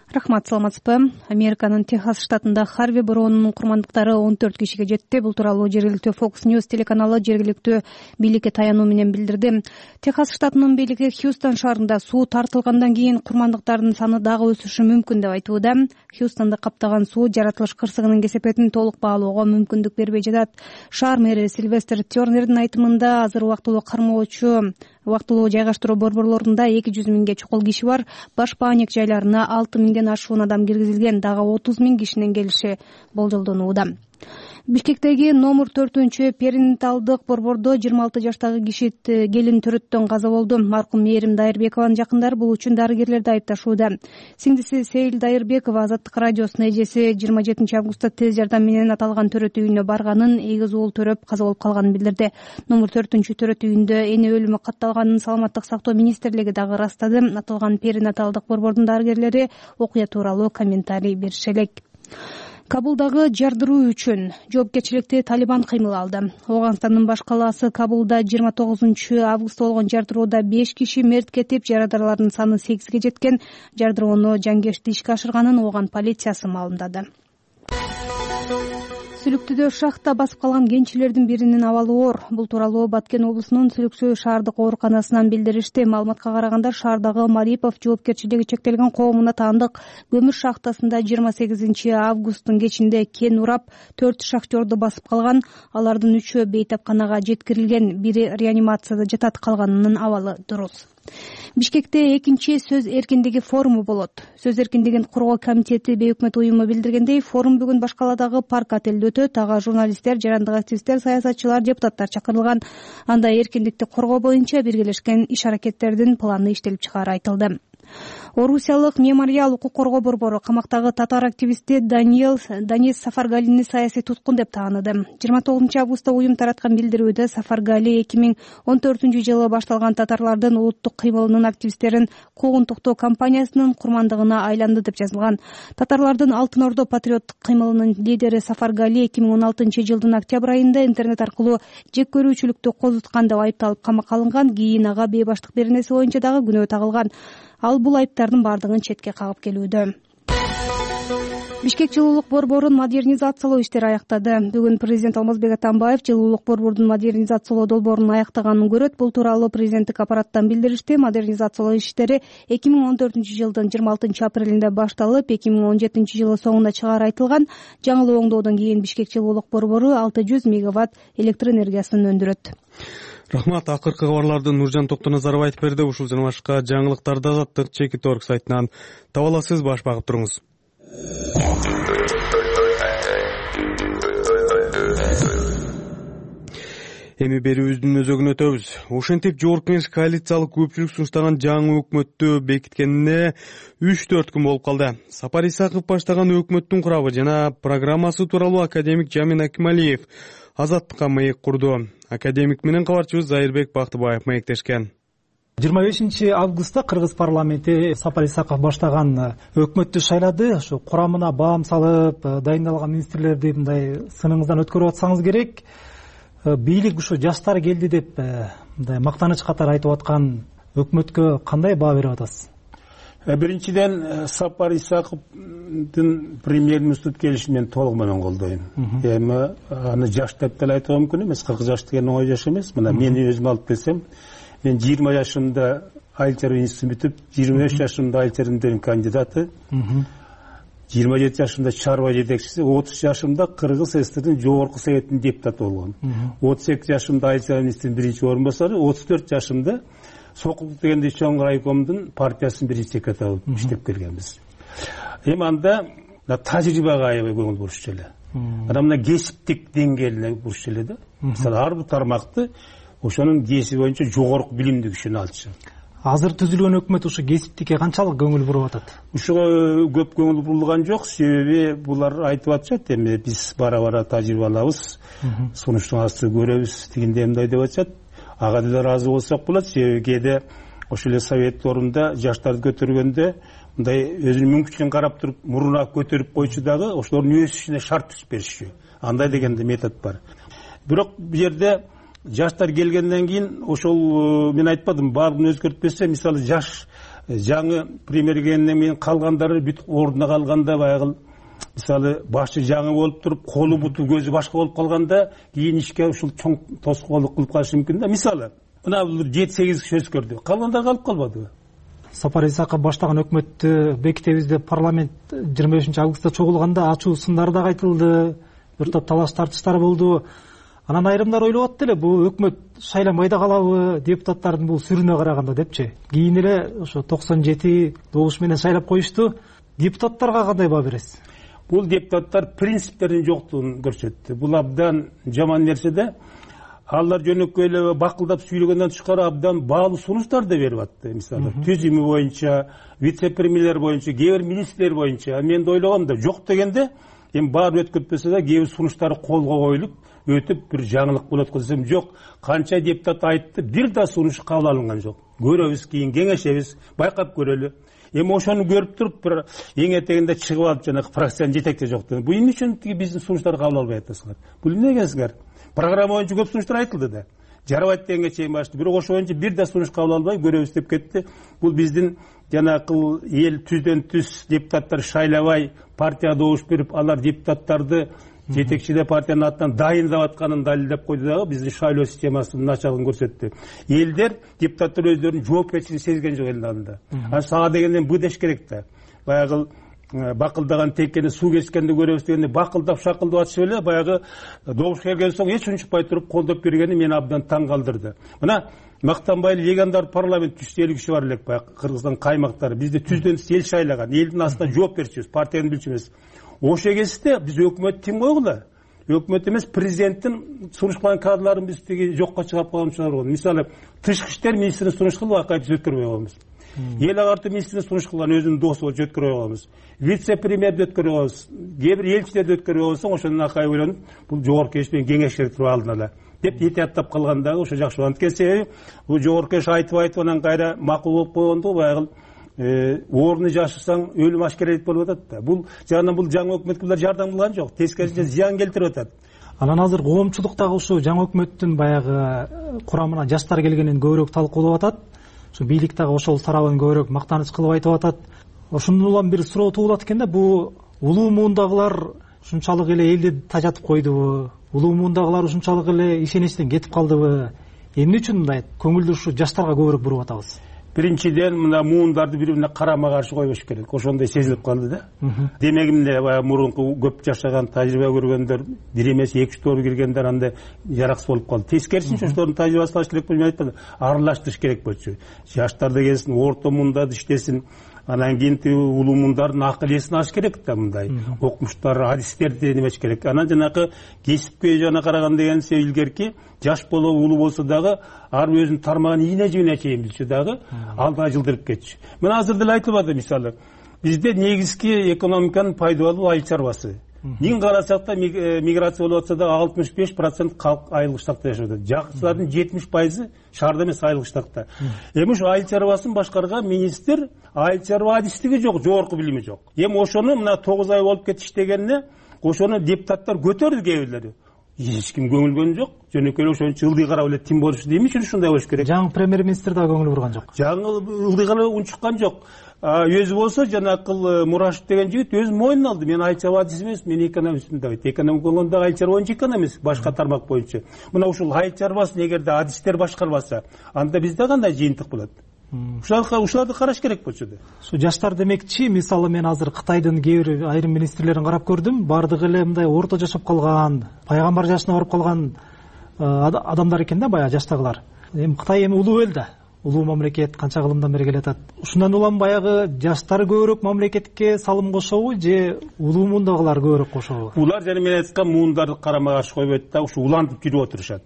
Рахмат, саламатсызбы? Американын Техас штатында Харви бороону курмандыктары 14 кишиге жетти. Бул тууралуу жергиликтүү Fox News телеканалы жергиликтүү бийликке таянуу менен билдирди. Техас штатынын бийлиги Хьюстон шаарында суу тартылгандан кийин курмандыктардын саны дагы өсүшү мүмкүн деп айтууда. Хьюстонду каптаган суу жаратылыш кырсыгынын кесепетин толук баалоого мүмкүндүк бербей жатат. Шаар мэри Сильвестр Тернердин айтымында азыр убактылуу кармоочу жайгаштыруу борборлорунда 200 миңге чукул киши бар. Баш бааник жайларына 6 миңден ашуун адам киргизилген, дагы 30 миң кишинин келиши болжолдонууда. Бишкектеги номер 4 перинаталдык борбордо 26 жаштагы киши келин төрөттөн каза болду. Маркум Мээрим Дайырбекованын жакындары бул үчүн дарыгерлерди айыпташууда. Сиңдиси Сейил Дайырбекова Азаттык радиосунун эжеси 27 августта тез жардам менен аталган төрөт үйүнө барганын, эгиз уул төрөп каза болуп калганын билдирди. Номер 4 төрөт үйүндө эне өлүмү катталганын Саламаттык сактоо министрлиги дагы ырастады. Аталган перинаталдык борбордун дарыгерлери окуя тууралуу комментарий берише элек. Кабулдагы жардыруу үчүн жоопкерчиликти Талибан кыймыл алды. Афганстандын баш калаасы Кабулда 29 августта болгон жардыроодо 5 киши мерт кетип, жарадарлардын саны 8ге жеткен. Жардыроону жангешти ишке ашырганын Афган полициясы маалымдады. Сүлүктүдө шахта басып калган кенчилердин биринин абалы оор. Бул тууралуу Баткен облусунун Сүлүкчү шаардык ооруканасынан билдиришти. Маалыматка караганда шаардагы Марипов жоопкерчилиги чектелген коомуна таандык көмүр шахтасында 28 августтун кечинде кен урап 4 шахтерду басып калган. Алардын 3-өө бейтапканага жеткирилген, бири реанимацияда жатат, калганынын абалы дурус. Бишкекте экинчи сөз эркиндиги форуму болот. Сөз эркиндигин коргоо комитети бейөкмөт уюму билдиргендей, форум бүгүн Баш каладагы парк отелде өтөт. Ага журналисттер, жарандык активисттер, саясатчылар, депутаттар чакырылган. Анда эркиндикти коргоо боюнча биргелешкен иш-аракеттердин планы иштелип чыгаары айтылды. Орусиялык мемориал укук коргоо борбору камактагы татар активисти Данис Сафаргалини саясий туткун деп тааныды. 29 августта уюм тараткан билдирүүдө Сафаргали 2014 жылы башталган татарлардын улуттук кыймылынын активисттерин куугунтуктоо кампаниясынын курмандыгына айланды деп жазылган. Татарлардын Алтын Ордо патриоттук кыймылынын лидери Сафаргали 2016 жылдын октябрь айында интернет аркылуу жек көрүүчүлүктү козуткан деп айыпталып камакка алынган. Кийин ага бейбаштык беренеси боюнча дагы күнөө тагылган. Ал бул айыптардын бардыгын четке кагып келүүдө. Бишкек жылуулук борборун модернизациялоо иштери аяктады. Бүгүн президент Алмазбек Атамбаев жылуулук борбордун модернизациялоо долбоорун аяктаганын көрөт. Бул тууралуу президенттик аппараттан билдиришти. Модернизациялоо иштери 2014 жылдын 26 апрелинде башталып, 2017 жылы соңуна чыгаары айтылган. Жаңылуу оңдоодон кийин Бишкек жылуулук борбору 600 мегаватт электр энергиясын өндүрөт. Рахмат. Акыркы кабарларды Нуржан Токтоназаров айтып берди. Ушул жана башка жаңылыктарды Азаттык Чекит.орг сайтынан таба аласыз. Баш багып туруңуз. Эми берүүбүздүн өзөгүнө өтөбүз. Ошентип Жогорку Кеңеш коалициялык көпчүлүк сунуштаган жаңы өкмөттү бекиткенине 3-4 күн болуп калды. Сапар Исаков баштаган өкмөттүн курабы жана программасы тууралуу академик Жамин Акималиев Азаттыкка маек курду. Академик менен кабарчыбыз Зайырбек Бактыбаев маектешкен. 25 августта Кыргыз парламенти Сапар Исаков баштаган өкмөттү шайлады. Ошо курамына баам салып, дайындалган министрлерди мындай сыныңыздан өткөрүп атсаңыз керек. Бийлик ушу жаштар келди деп мындай мактаныч катары айтып аткан өкмөткө кандай баа берип атасыз? Биринчиден Сапар Исаковдун премьер-министр келишин мен толук менен колдойм. Эми аны жаш деп деле айтууга мүмкүн эмес. 40 жаш деген оңой жаш эмес. Мына мени өзүм алып келсем, мен 20 жашымда айыл чарба институтун бүтүп, 25 жашымда айыл чарба кандидаты, 27 жашымда чарба жетекчиси, 30 жашымда Кыргыз СССРдин жогорку советинин депутаты болгом. 32 жашымда айыл чарба министринин биринчи орун басары, 34 жашымда Сокулдук дегенде чоң райкомдун партиясынын биринчи секретары болуп иштеп келгенбиз. эми анда тажрыйбага аябай көңүл бурушчу эле. Анан мына кесиптик деңгээлине бурушчу эле да. Мисалы ар бир тармакты ошонун кесиби боюнча жогорку билимдүү кишини алчу. Азыр түзүлгөн өкмөт ушу кесиптикке канчалык көңүл буруп атат? Ушуга көп көңүл бурулган жок, себеби булар айтып атышат, эми биз бара тажрыйба алабыз, сунуштарды көрөбүз, тигиндей мындай деп атышат. Ага деле ыраазы болсок болот, себеби кээде ошол эле совет орунда жаштарды көтөргөндө мындай өзүнүн мүмкүнчүлүгүн карап туруп мурунак көтөрүп койчу дагы ошолордун өсүшүнө шарт түзүп беришчү. Андай деген да метод бар. Бирок бул жерде жаштар келгенден кийин ошол мен айтпадым, баардыгын өзгөртпөсө, мисалы жаш жаңы премьер келгенден кийин калгандары бүт ордуна калганда баягы мисалы башчы жаңы болуп туруп колу буту көзү башка болуп калганда кийин ишке ушул чоң тоскоолдук кылып калышы мүмкүн да. Мисалы мына бул 7-8 киши өзгөрдү, калгандар калып калбадыбы? Сапар Исаков баштаган өкмөттү бекитебиз деп парламент 25 августта чогулганда ачуу сындар да айтылды, бир топ талаш тартыштар болду. Анан айрымдар ойлоп атты эле, бул өкмөт шайланбай да калабы депутаттардын бул сүрүнө караганда депчи. Кийин эле ошо 97 добуш менен шайлап коюшту. Депутаттарга кандай баа бересиз? Бул депутаттар принциптердин жоктугун көрсөттү. Бул абдан жаман нерсе да. Алар жөнөкөй эле бакылдап сүйлөгөндөн тышкары абдан баалуу сунуштар да берип атты. Мисалы түзүмү боюнча, вице-премьерлер боюнча, кээ бир министрлер боюнча. Мен да ойлогом да, жок дегенде эми баары өткөртпөсө да кээ бир сунуштары колго коюлуп өтүп бир жаңылык болот десем жок. Канча депутат айтты, бир да сунуш кабыл алынган жок. Көрөбүз, кийин кеңешебиз, байкап көрөлү. Эми ошону көрүп туруп бир эң этегинде чыгып алып жанагы фракциянын жетекчи жок деп. Бул эмне үчүн биздин сунуштарды кабыл албай атасыңар? Бул эмне дегенсиңер? Программа боюнча көп сунуштар айтылды да. Жарабайт дегенге чейин башты. Бирок ошо боюнча бир да сунуш кабыл албай көрөбүз деп кетти. Бул биздин жанагы эл түздөн түз депутаттар шайлабай, партияга добуш берип, алар депутаттарды жетекчиде партиянын атынан дайындап атканын далилдеп койду дагы, биздин шайлоо системасынын начарлыгын көрсөттү. Элдер, депутаттар өздөрүнүн жоопкерчилигин сезген жок элдин алдында. Анан сага дегенден бу деш керек да. Баягы бакылдаган теккени суу кечкенде көрөбүз дегенде бакылдап шакылдап атышып эле баягы добуш келген соң эч унчукпай туруп колдоп бергени мени абдан таң калтырды. Мына мактанбай эле легендар парламент 350 киши бар элек, баягы Кыргызстан каймактары. Бизди түздөн түз эл шайлаган, элдин астына жооп берчүбүз, партиянын билчү эмес. Ошо кезде биз өкмөт тим койгула. Өкмөт эмес, президенттин сунуш кылган кадрларын биз тиги жокко чыгарып койгончулар. Мисалы, тышкы иштер министрин сунуш кылып акай биз өткөрбөй койбуз. Эл агартуу министрин сунуш кылган өзүнүн досу болчу өткөрбөй койбуз. Вице-премьерди өткөрбөй койбуз. Кээ бир элчилерди өткөрбөй койсоң, ошондон акай ойлонуп, бул жогорку кеңеш менен кеңеш керек туруп алдын ала деп этияттап калгандагы ошо жакшы болгон. Анткени себеби бул жогорку кеңеш айтып анан кайра макул болуп койгондо баягы орны жашырсаң өлүм ашкерелик болуп атат да. Бул жагынан бул жаңы өкмөткө булар жардам кылган жок, тескерисинче зыян келтирип атат. Анан азыр коомчулуктагы ушу жаңы өкмөттүн баягы курамына жаштар келгенин көбүрөөк талкуулап атат. Ушу бийлик дагы ошол тарабын көбүрөөк мактаныч кылып айтып атат. Ошондон бир суроо туулат экен да, бул улуу муундагылар ушунчалык эле элди тажатып койдубу? Улуу муундагылар ушунчалык эле ишеничтен кетип калдыбы? Эмне үчүн мындай көңүлдү ушу жаштарга көбүрөөк буруп атабыз? Биринчиден мына муундарды бири бирине карама каршы койбош керек. Ошондой сезилип калды да. Демек эмне баягы мурунку көп жашаган, тажрыйба көргөндөр, бир эмес 2-3 тоор келгендер анда жараксыз болуп калды. Тескерисинче ошолордун тажрыйбасын алыш керек болчу, мен айтпадым, аралаштырыш керек болчу. Жаштар да келсин, орто мундада иштесин. Анан кийин улуу мундардын акыл эсин алыш керек да, мындай окумуштар, адистерди немеш керек. Анан жанагы кесипке жана караган дегенсе илгерки жаш боло улуу болсо дагы ар өзүнүн тармагын ийне жибине чейин билчү дагы алдыга жылдырып кетчү. Мен азыр деле айтылбады, мисалы бизде негизги экономиканын пайдалуу айыл чарбасы. Миң карасак да миграция болуп атса да 65% калк айылдык штатта жашап атат. Жакшылардын 70% шаарда эмес, айылдык штатта. Эми ушу айыл чарбасын башкарган министр айыл чарба адистиги жок, жогорку билими жок. Эми ошону мына 9 ай болуп кетиш дегенне ошону депутаттар көтөрдү, кээ бирлери. Эч ким көңүл жок. Жөнөкөй эле ошончо ылдый карап эле тим болушу дейм үчүн ушундай болуш керек. Жаңы премьер-министр да көңүл бурган жок. Жаңы ылдый карап унчуккан жок. Өзү болсо жанакыл Мурашев деген жигит өзү мойнуна алды. Мен айыл чарба адиси эмес, мен экономистмин деп айтты. Экономик болгондо айыл чарба боюнча экономист, башка тармак боюнча. Мына ушул айыл чарбасын эгерде адистер башкарбаса, анда бизде кандай жыйынтык болот? Ушуларды караш керек болчу да. Ушу жаштар демекчи, мисалы мен азыр Кытайдын кээ бир айрым министрлерин карап көрдүм. Бардыгы эле мындай орто жашап калган, пайгамбар жашына барып калган адамдар экен да, баягы жаштагылар. Эми Кытай эми улуу эл да. улуу мамлекет канча кылымдан бери келатат. Ушундан улам баягы жаштар көбүрөөк мамлекетке салым кошобу же улуу муундагылар көбүрөөк кошобу? Булар жана мен айткан муундарды карама каршы койбойт да, ушу улантып жүрүп отурушат.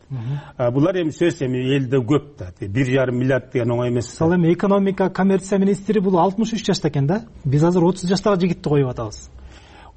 Булар эми сөз элде көп да, 1,5 миллиард деген оңой эмес. Мисалы эми экономика, коммерция министри бул 63 жашта экен да. Биз азыр 30 жаштагы жигитти коюп атабыз.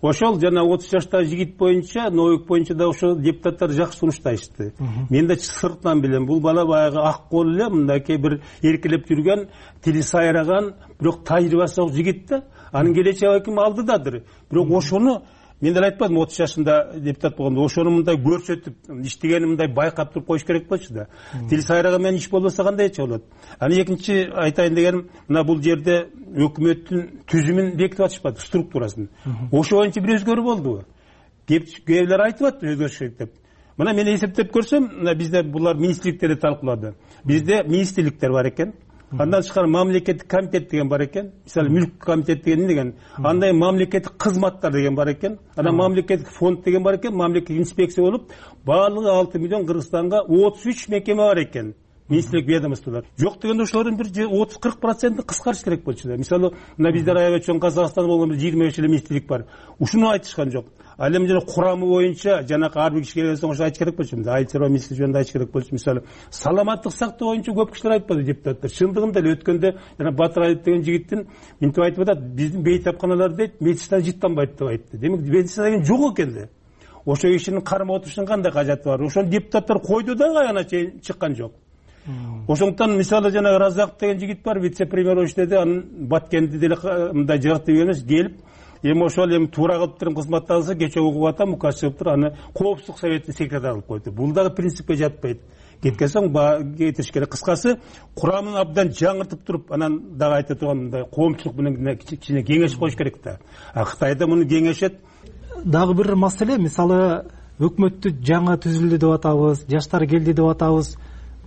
Ошол жана 30 жаштагы жигит боюнча, ноюк боюнча да ошо депутаттар жакшы сунушташты. Мен да сыртынан билем, бул бала баягы ак кол эле, мындайкы бир эркелеп жүргөн, тили сайраган, бирок тажрыйбасы жок жигит да. Анын келечеги балким алдыдадыр. Бирок ошону мен деле айтпадым 30 жашында депутат болгондо, ошону мындай көрсөтүп, иштегенин мындай байкап туруп коюш керек болчу да. Тил сайраган менен иш болбосо кандайча болот? Аны экинчи айтайын дегеним, мына бул жерде өкмөттүн түзүмүн бекитип атышпады, структурасын. Ошо боюнча бир өзгөрүү болдубу? Кээбилер айтып атты өзгөрүш керек деп. Мына мен эсептеп көрсөм, мына бизде булар министрликтерде талкуулады. Бизде министрликтер бар экен. Андан тышкары мамлекеттик комитет деген бар экен. Мисалы мүлк комитет деген деген. Андай мамлекеттик кызматтар деген бар экен. Анан мамлекеттик фонд деген бар экен. Мамлекеттик инспекция болуп, баардыгы 6 миллион Кыргызстанга 33 мекеме бар экен. Министрлик ведомстволор. Жок дегенде ошолордун бир 30-40% кыскартыш керек болчу да. Мисалы, мына бизде аябай чоң Казакстанда болгон 25 эле министрлик бар. Ушуну айтышкан жок. Ал эми жана курамы боюнча жанакы ар бир кишиге келген соң ошо айтыш керек болчу. Айыл чарба министри жөнүндө айтыш керек болчу. Мисалы, саламаттык сактоо боюнча көп кишилер айтпады депутаттар. Чындыгында эле өткөндө жана Батыралиев деген жигиттин мынтип айтып атат, биздин бейтапканалар дейт, медицина жыттанбайт деп айтты. Демек медицина деген жок экен да. Ошо кишинин кармап отурушунун кандай кажети бар? Ошону депутаттар койду да аяна чейин чыккан жок. Ошондуктан мисалы жана Разаков деген жигит бар, вице-премьер болуп иштеди, анын Баткенди деле мындай жыгыктуу эмес, келип эми ошол эми туура кылып туруп кызматталса, кече угуп атам, указ чыгып туруп, аны коопсуздук советтин секретары кылып койду. Бул дагы принципке жатпайт. Кеткен соң кетиш керек. Кыскасы, курамын абдан жаңыртып туруп, анан дагы айта турган мындай коомчулук менен кичине кеңешип коюш керек да. Кытайда муну кеңешет. Дагы бир маселе, мисалы өкмөттү жаңы түзүлдү деп атабыз, жаштар келди деп атабыз.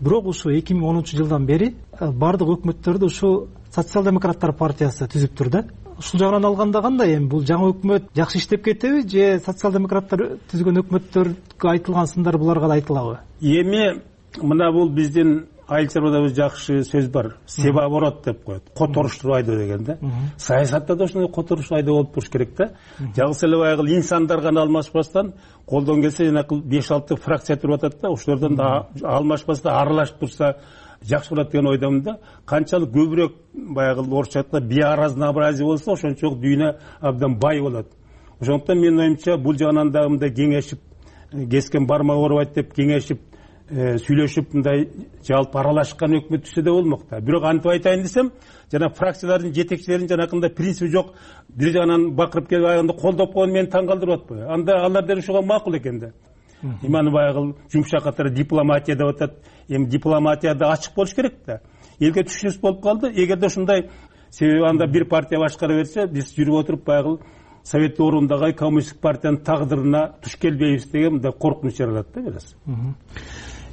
Бирок ушу 2010-жылдан бери бардык өкмөттөрдү ушу социал-демократтар партиясы түзүптүр да. Ушул жагынан алганда кандай эми бул жаңы өкмөт жакшы иштеп кетеби же социал-демократтар түзгөн өкмөттөргө айтылган сындар буларга да айтылабы? Эми мына бул биздин айыл чарбада жакшы сөз бар. Себа-оборот деп коет. Которуштуруп айдоо деген да. Саясатта да ошондой которуштуруп айдоо болуп туруш керек да. Жалгыз эле баягы инсандар гана алмашпастан, колдон келсе жанакы 5-6 фракция туруп атат да, ошолордон да алмашпастан аралашып турса жакшы болот деген ойдомун да. Канчалык көбүрөөк баягы орусча айтканда биоразнообразие болсо, ошончолук дүйнө абдан бай болот. Ошондуктан менин оюмча бул жагынан да мындай кеңешип, кескен бармак оорубайт деп кеңешип, сүйлөшүп мындай жалпы аралашкан өкмөт түзсө да болмок да. Бирок антип айтайын десем, жана фракциялардын жетекчилеринин жанакындай принципи жок, бир жагынан бакырып келип аягында колдоп койгон мени таң калтырып атпайбы? Анда алар деле ушуга макул экен да. Иманы баягы жумшак катары дипломатия деп атат. Эми дипломатияда ачык болуш керек да. Элге түшүнүш болуп калды. Эгерде ушундай, себеби анда бир партия башкара берсе, биз жүрүп отуруп баягы совет ордундагы коммунисттик партиянын тагдырына туш келбейбиз деген мындай коркунуч жаралат да biraz.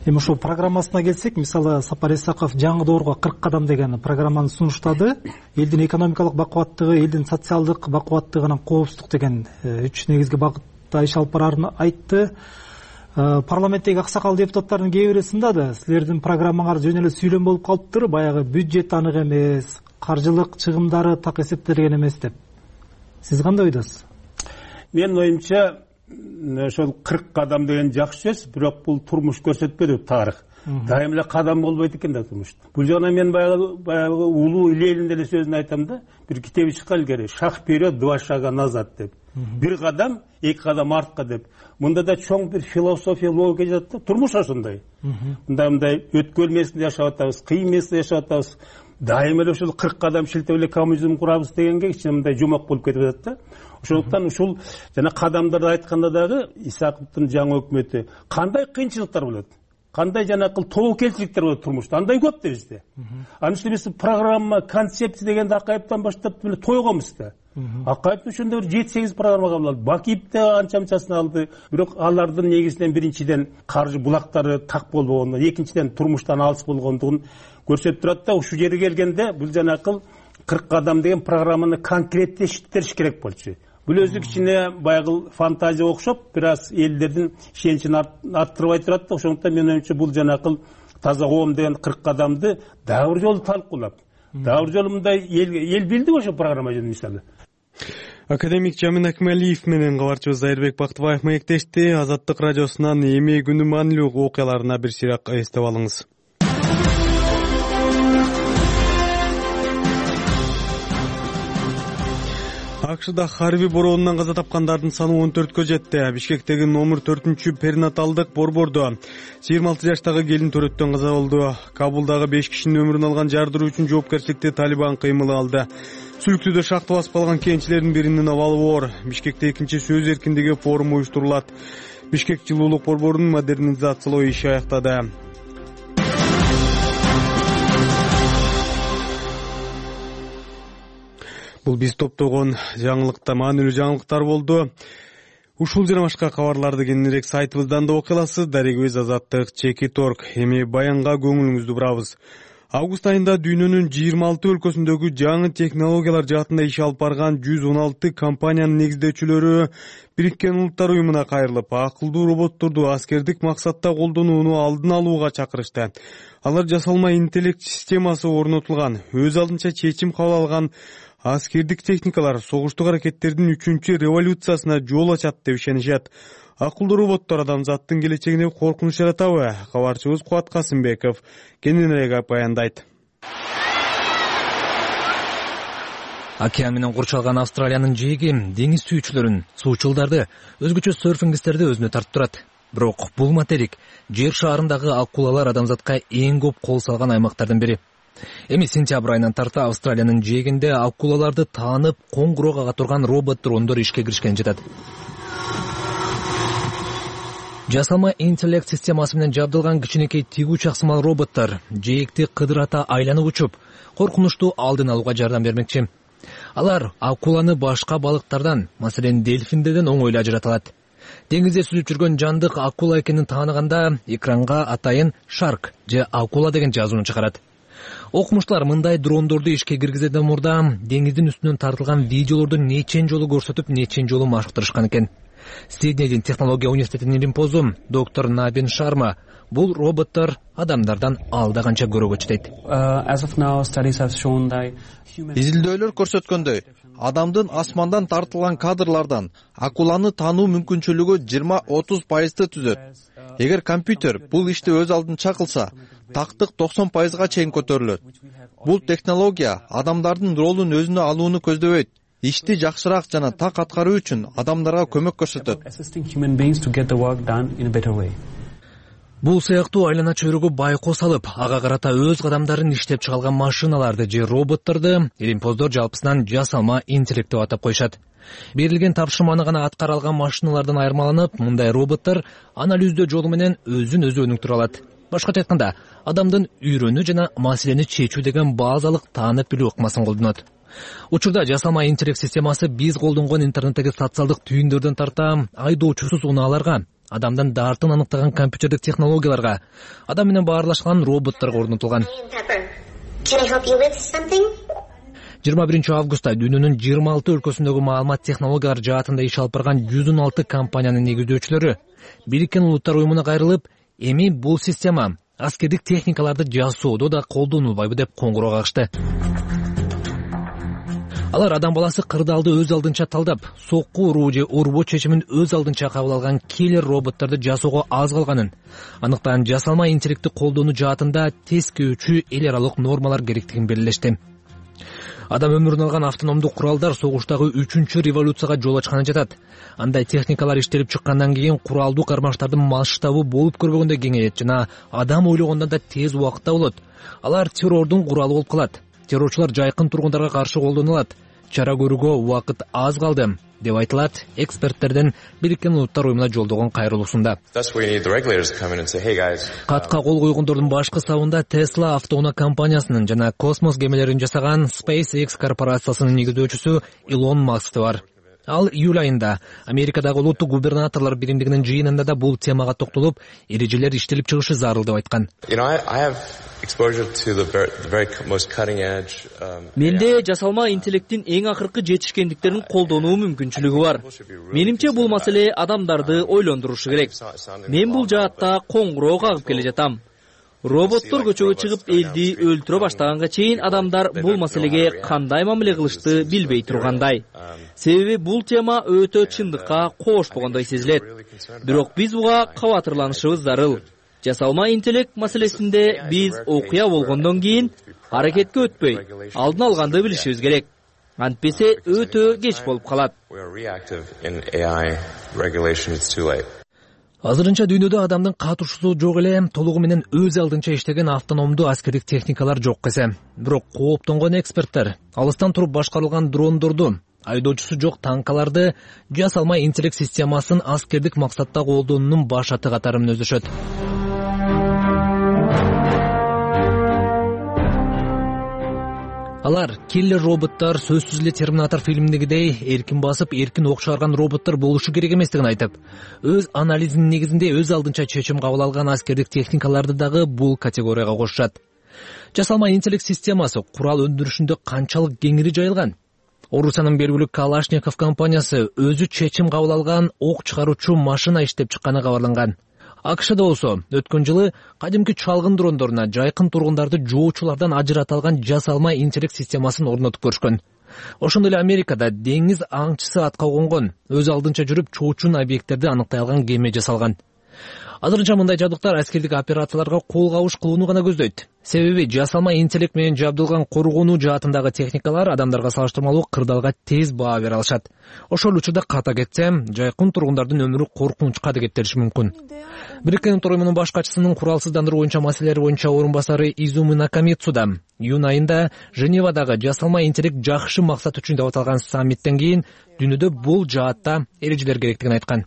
Эми ошол программасына келсек, мисалы Сапар Исаков жаңы доорго 40 кадам деген программаны сунуштады. Элдин экономикалык бакубаттыгы, элдин социалдык бакубаттыгынан коопсуздук деген 3 негизги багытта иш алып барарын айтты. Парламенттеги аксакал депутаттардын кээ бири сындады. Силердин программаңар жөн эле сүйлөм болуп калыптыр, баягы бюджет анык эмес, каржылык чыгымдары так эсептелген эмес деп. Сиз кандай ойдосуз? Менин оюмча ошол 40 кадам деген жакшы сөз, бирок бул турмуш көрсөтпөдү тарых. Дайым эле кадам болбойт экен да турмушта. Бул жагынан мен баягы улуу Ленин деле сөзүн айтам да, бир китеби чыккан илгери, шаг вперед, 2 шага назад деп. Бир кадам, 2 кадам артка деп. Мында да чоң бир философия, логика жатат да. Турмуш ошондой. Мындай өткөн месинде жашап атабыз, кыйын месинде жашап атабыз. Дайым эле ушул 40 кадам шилтеп эле коммунизм курабыз дегенге кичине мындай жумак болуп кетип атат да. Ошондуктан ушул жана кадамдарды айтканда дагы Исаковдун жаңы өкмөтү кандай кыйынчылыктар болот? Кандай жанакыл тобокелчиликтер болот турмушта? Андай көп да бизде. Анын үстүнө биз программа, концепция дегенде Акаевден баштап эле тойгонбуз да. Акаев ошондо 7-8 программа кабыл алды. Бакиев да анча-мынчасын алды. Бирок алардын негизинен биринчиден каржы булактары так болбогондон, экинчиден турмуштан алыс болгондугун көрсөтүп турат да. Ушул жерге келгенде бул жанакыл 40 кадам деген программаны конкреттештириш керек болчу. Бул өзү кичине баягы фантазия окшоп, бир аз элдердин ишеничин арттырбай турат да. Ошондуктан менин оюмча бул жанакыл таза коом деген 40 адамды дагы бир жолу талкуулап, дагы бир жолу мындай эл билди ошо программа жөнүндө мисалы. Академик Жамин Акмалиев менен кабарчыбыз Айырбек Бактыбаев маектешти. Азаттык радиосунан эми күнү маанилүү окуяларына бир сыйrak эстеп алыңыз. АКШда Харви бороонунан каза тапкандардын саны 14кө жетти. Бишкектеги номер 4 перинаталдык борбордо 26 жаштагы келин төрөттөн каза болду. Кабулдагы 5 кишинин өмүрүн алган жардыруу үчүн жоопкерчиликти Талибан кыймылы алды. Сүлүктүүдө шахта басып калган кенчилердин биринин абалы оор. Бишкекте экинчи сөз эркиндиги форуму уюштурулат. Бишкек жылуулук борборунун модернизациялоо иши аяктады. Бул биз топтогон маанилүү жаңылыктар болду. Ушул жана башка кабарларды кененирээк сайтыбыздан да окуй аласыз. Дарегибиз Азаттык /org. Эми баянга көңүлүңүздү бурабыз. Август айында дүйнөнүн 26 өлкөсүндөгү жаңы технологиялар жаатында иш алып барган 116 компаниянын негиздөөчүлөрү Бириккен Улуттар уюмуна кайрылып, акылдуу роботторду аскердик максатта колдонууну алдын алууга чакырышты. Алар жасалма интеллект системасы орнотулган, өз алдынча чечим кабыл алган аскердик техникалар согуштук аракеттердин 3-чү революциясына жол ачат деп ишенишет. Акылдуу роботтор адамзаттын келечегине коркунуч жаратабы? Кабарчыбыз Кубат Касымбеков кененирээк баяндайт. Океан менен курчалган Австралиянын жээги деңиз сүйүүчүлөрүн, суучулдарды, өзгөчө серфингисттерди өзүнө тартып турат. Бирок бул материк жер шаарындагы акулалар адамзатка эң көп кол салган аймактардын бири. Эми сентябрь айынан тарта Австралиянын жээгинде акулаларды таанып, коңгуроо кага турган робот дрондор ишке киришкен жатат. Жасалма интеллект системасы менен жабдылган кичинекей тигүү чаксымал роботтор жээкти кыдырата айланып учуп, коркунучту алдын алууга жардам бермекчи. Алар акуланы башка балыктардан, маселен дельфиндерден оңойлуу ажырата алат. Деңизде сүзүп жүргөн жандык акула экенин тааныганда экранга атайын шарк же акула деген жазууну чыгарат. Окумуштуулар мындай дрондорду ишке киргизүүдөн мурда деңиздин үстүнөн тартылган видеолорду нечен жолу көрсөтүп, нечен жолу машыктырышкан экен. Сиднейдин технология университетинин илимпозу доктор Набин Шарма бул роботтор адамдардан алда канча көрөгөчү дейт. Изилдөөлөр көрсөткөндөй, адамдын асмандан тартылган кадрлардан акуланы таануу мүмкүнчүлүгү 20-30% түзөт. Эгер компьютер бул ишти өз алдынча кылса, тактык 90%га чейин көтөрүлөт. Бул технология адамдардын ролун өзүнө алууну көздөбөйт. Ишти жакшыраак жана так аткаруу үчүн адамдарга көмөк көрсөтөт. Бул сыяктуу айлана чөйрөгө байкос алып, ага карата өз кадамдарын иштеп чыгалган машиналарды же роботторду илимпоздор жалпысынан жасалма интеллект деп атап коюшат. Берилген тапшырманы гана аткара алган машиналардан айырмаланып, мындай роботтор анализдөө жолу менен өзүн өзү өнүктүрө алат. Башкача айтканда, адамдын үйрөнүү жана маселени чечүү деген базалык таанып билүү ыкмасын колдонот. Учурда жасалма интеллект системасы биз колдонгон интернеттеги социалдык түйүндөрдөн тарта айдоочусуз унааларга, адамдын дартын аныктаган компьютердик технологияларга, адам менен баарлашкан роботторго орнотулган. 21 августта дүйнөнүн 26 өлкөсүндөгү маалымат технологиялар жаатында иш алып барган 116 компаниянын негиздөөчүлөрү Бириккен Улуттар уюмуна кайрылып, эми бул система аскердик техникаларды жасоодо да колдонулбайбы деп коңгуроо кагышты. Алар адам баласы кырдаалды өз алдынча талдап, сокку уруу же урбоо чечимин өз алдынча кабыл алган киллер роботторду жасоого аз калганын, аныктан жасалма интеллектти колдонуу жаатында тескөөчү эл аралык нормалар керектигин белгилешти. Адам өмүрүн алган автономдук куралдар согуштагы 3-чү революцияга жол ачканы жатат. Андай техникалар иштелип чыккандан кийин куралдуу кармаштардын масштабы болуп көрбөгөндөй кеңейет жана адам ойлогондон да тез убакытта болот. Алар террордун куралы болуп калат. Террорчулар жайкын тургундарга каршы колдонулат. Чара көрүүгө убакыт аз калды, деп айтылат эксперттердин Бириккен Улуттар уюмуна жолдогон кайрылуусунда. Катка кол койгондордун башкы сабында Tesla автоунаа компаниясынын жана космос кемелерин жасаган SpaceX корпорациясынын негиздөөчүсү Илон Маск бар. Ал июль айында Америкадагы улуттук губернаторлор биримдигинин жыйынында да бул темага токтолуп, эрежелер иштелип чыгышы зарыл деп айткан. Менде жасалма интеллекттин эң акыркы жетишкендиктерин колдонуу мүмкүнчүлүгү бар. Менимче бул маселе адамдарды ойлондурушу керек. Мен бул жаатта коңгуроо кагып келе жатам. Роботтор көчөгө чыгып элди өлтүрө баштаганга чейин адамдар бул маселеге кандай мамиле кылышты билбей тургандай. Себеби бул тема өтө чындыкка кошпогондой сезилет. Бирок биз буга кабатырланышыбыз зарыл. Жасалма интеллект маселесинде биз окуя болгондон кийин аракетке өтпөй, алдын алганды билишибиз керек. Антпесе өтө кеч болуп калат. Азырынча дүйнөдө адамдын катышуусу жок эле, толугу менен өз алдынча иштеген автономдуу аскердик техникалар жок десе. Бирок кооптонгон эксперттер алыстан туруп башкарылган дрондорду, айдоочусу жок танкаларды жасалма интеллект системасын аскердик максатта колдонуунун башаты катары мүнөздөшөт. Алар киллер роботтор сөзсүз эле Терминатор фильминдегидей эркин басып, эркин ок чыгарган роботтор болушу керек эместигин айтып, өз анализинин негизинде өз алдынча чечим кабыл алган аскердик техникаларды дагы бул категорияга кошушат. Жасалма интеллект системасы курал өндүрүшүндө канчалык кеңири жайылган? Орусиянын белгилүү Калашников компаниясы өзү чечим кабыл алган ок чыгаруучу машина иштеп чыкканы кабарланган. АКШда болсо өткөн жылы кадимки чалгын дрондоруна жайкын тургундарды жоочулардан ажырата алган жасалма интеллект системасын орнотуп көрүшкөн. Ошондой эле Америкада деңиз аңчысы атка конгон, өз алдынча жүрүп чоочун объекттерди аныктай алган кеме жасалган. Азырынча мындай жабдыктар аскердик операцияларга кол кабыш кылууну гана көздөйт. Себеби жасалма интеллект менен жабдылган коргонуу жаатындагы техникалар адамдарга салыштырмалуу кырдаалга тез баа бере алышат. Ошол учурда ката кетсе, жайкын тургундардын өмүрү коркунучка да кетириши мүмкүн. Бириккен Улуттар уюмунун баш катчысынын куралсыздандыруу боюнча маселелер боюнча орун басары Изуми Накамицу да июнь айында Женевадагы жасалма интеллект жакшы максат үчүн деп аталган саммиттен кийин дүйнөдө бул жаатта эрежелер керектигин айткан.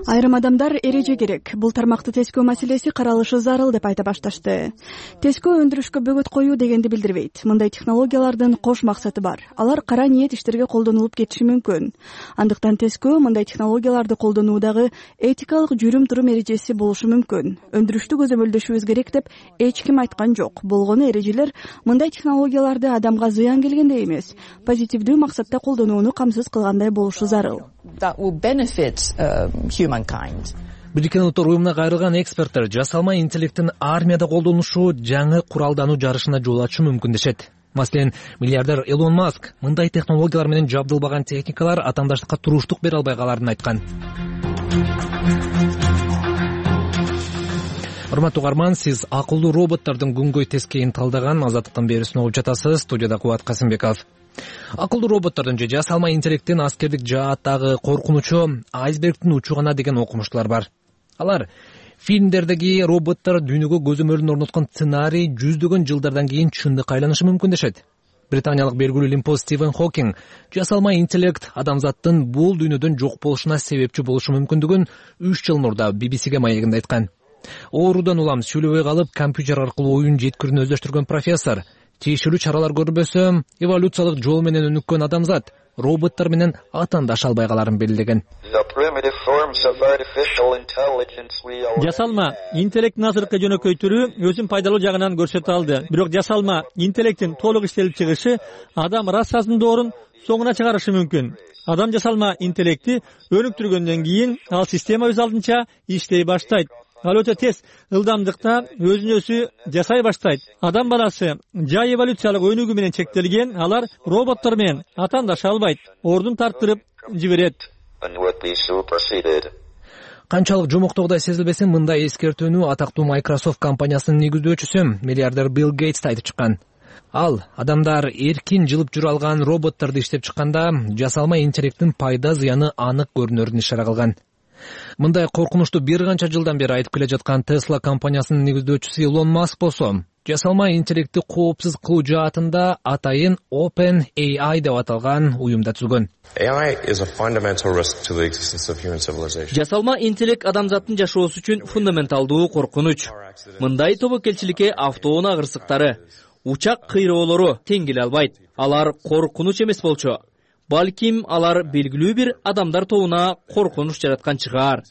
Айрым адамдар эреже керек. Бул тармакты тескөө маселеси каралышы зарыл деп айта башташты. Тескөө өндүрүшкө бөгөт коюу дегенди билдирбейт. Мындай технологиялардын кош максаты бар. Алар кара ниет иштерге колдонулуп кетиши мүмкүн. Андыктан тескөө мындай технологияларды колдонуудагы этикалык жүрүм-турум эрежеси болушу мүмкүн. Өндүрүштү көзөмөлдөшүбүз керек деп эч ким айткан жок. Болгону эрежелер мындай технологияларды адамга зыян келгендей эмес, позитивдүү максатта колдонууну камсыз кылгандай болушу зарыл. Бириккен Улуттар уюмуна кайрылган эксперттер жасалма интеллекттин армияда колдонулушу жаңы куралдануу жарышына жол ачышы мүмкүн дешет. Маселен, миллиардер Илон Маск мындай технологиялар менен жабдылбаган техникалар атаандаштыкка туруштук бере албай каларын айткан. Урматтуу угарман, сиз акылдуу роботтордун күнгөй тескейин талдаган Азаттыктын берүүсүн угуп жатасыз. Студияда Кубат Касымбеков. Акылдуу роботтордун же жасалма интеллекттин аскердик жааттагы коркунучу айсбергдин учу гана деген окумуштуулар бар. Алар фильмдердеги роботтор дүйнөгө көзөмөлүн орноткон сценарий жүздөгөн жылдардан кийин чындыкка айланышы мүмкүн дешет. Британиялык белгилүү лимпоз Стивен Хокинг жасалма интеллект адамзаттын бул дүйнөдөн жок болушуна себепчи болушу мүмкүндүгүн 3 жыл мурда BBC-ге маегинде айткан. Оорудан улам сүйлөбөй калып, компьютер аркылуу оюн жеткирүүнү өздөштүргөн профессор тиешелүү чаралар көрбөсө, эволюциялык жол менен өнүккөн адамзат роботтор менен атаандаша албай каларын белгилеген. Жасалма интеллекттин азыркы жөнөкөй түрү өзүн пайдалуу жагынан көрсөтө алды. Бирок жасалма интеллекттин толук иштелип чыгышы адам расасын доорун соңуна чыгарышы мүмкүн. Адам жасалма интеллекти өнүктүргөндөн кийин ал система өз алдынча иштей баштайт. Ал өтө тез ылдамдыкта өзүн өзү жасай баштайт. Адам баласы жай эволюциялык өнүгүү менен чектелген, алар роботтор менен атаандаша албайт, ордун тарттырып жиберет. Канчалык жомоктогудай сезилбесин, мындай эскертүүнү атактуу Microsoft компаниясынын негиздөөчүсү миллиардер Билл Гейтс айтып чыккан. Ал адамдар эркин жылып жүрө алган роботторду иштеп чыкканда жасалма интеллекттин пайда зыяны анык көрүнөрүн ишара кылган. Мындай коркунучту бир канча жылдан бери айтып келе жаткан Tesla компаниясынын негиздөөчүсү Илон Маск болсо, жасалма интеллектти коопсуз кылуу жаатында атайын OpenAI деп аталган уюмда түзгөн. Жасалма интеллект адамзаттын жашоосу үчүн фундаменталдуу коркунуч. Мындай тобокелчиликке автоунаа кырсыктары, учак кыйроолору тең келе албайт. Алар коркунуч эмес болчу. Балким алар белгилүү бир адамдар тобуна коркунуч жараткан чыгар.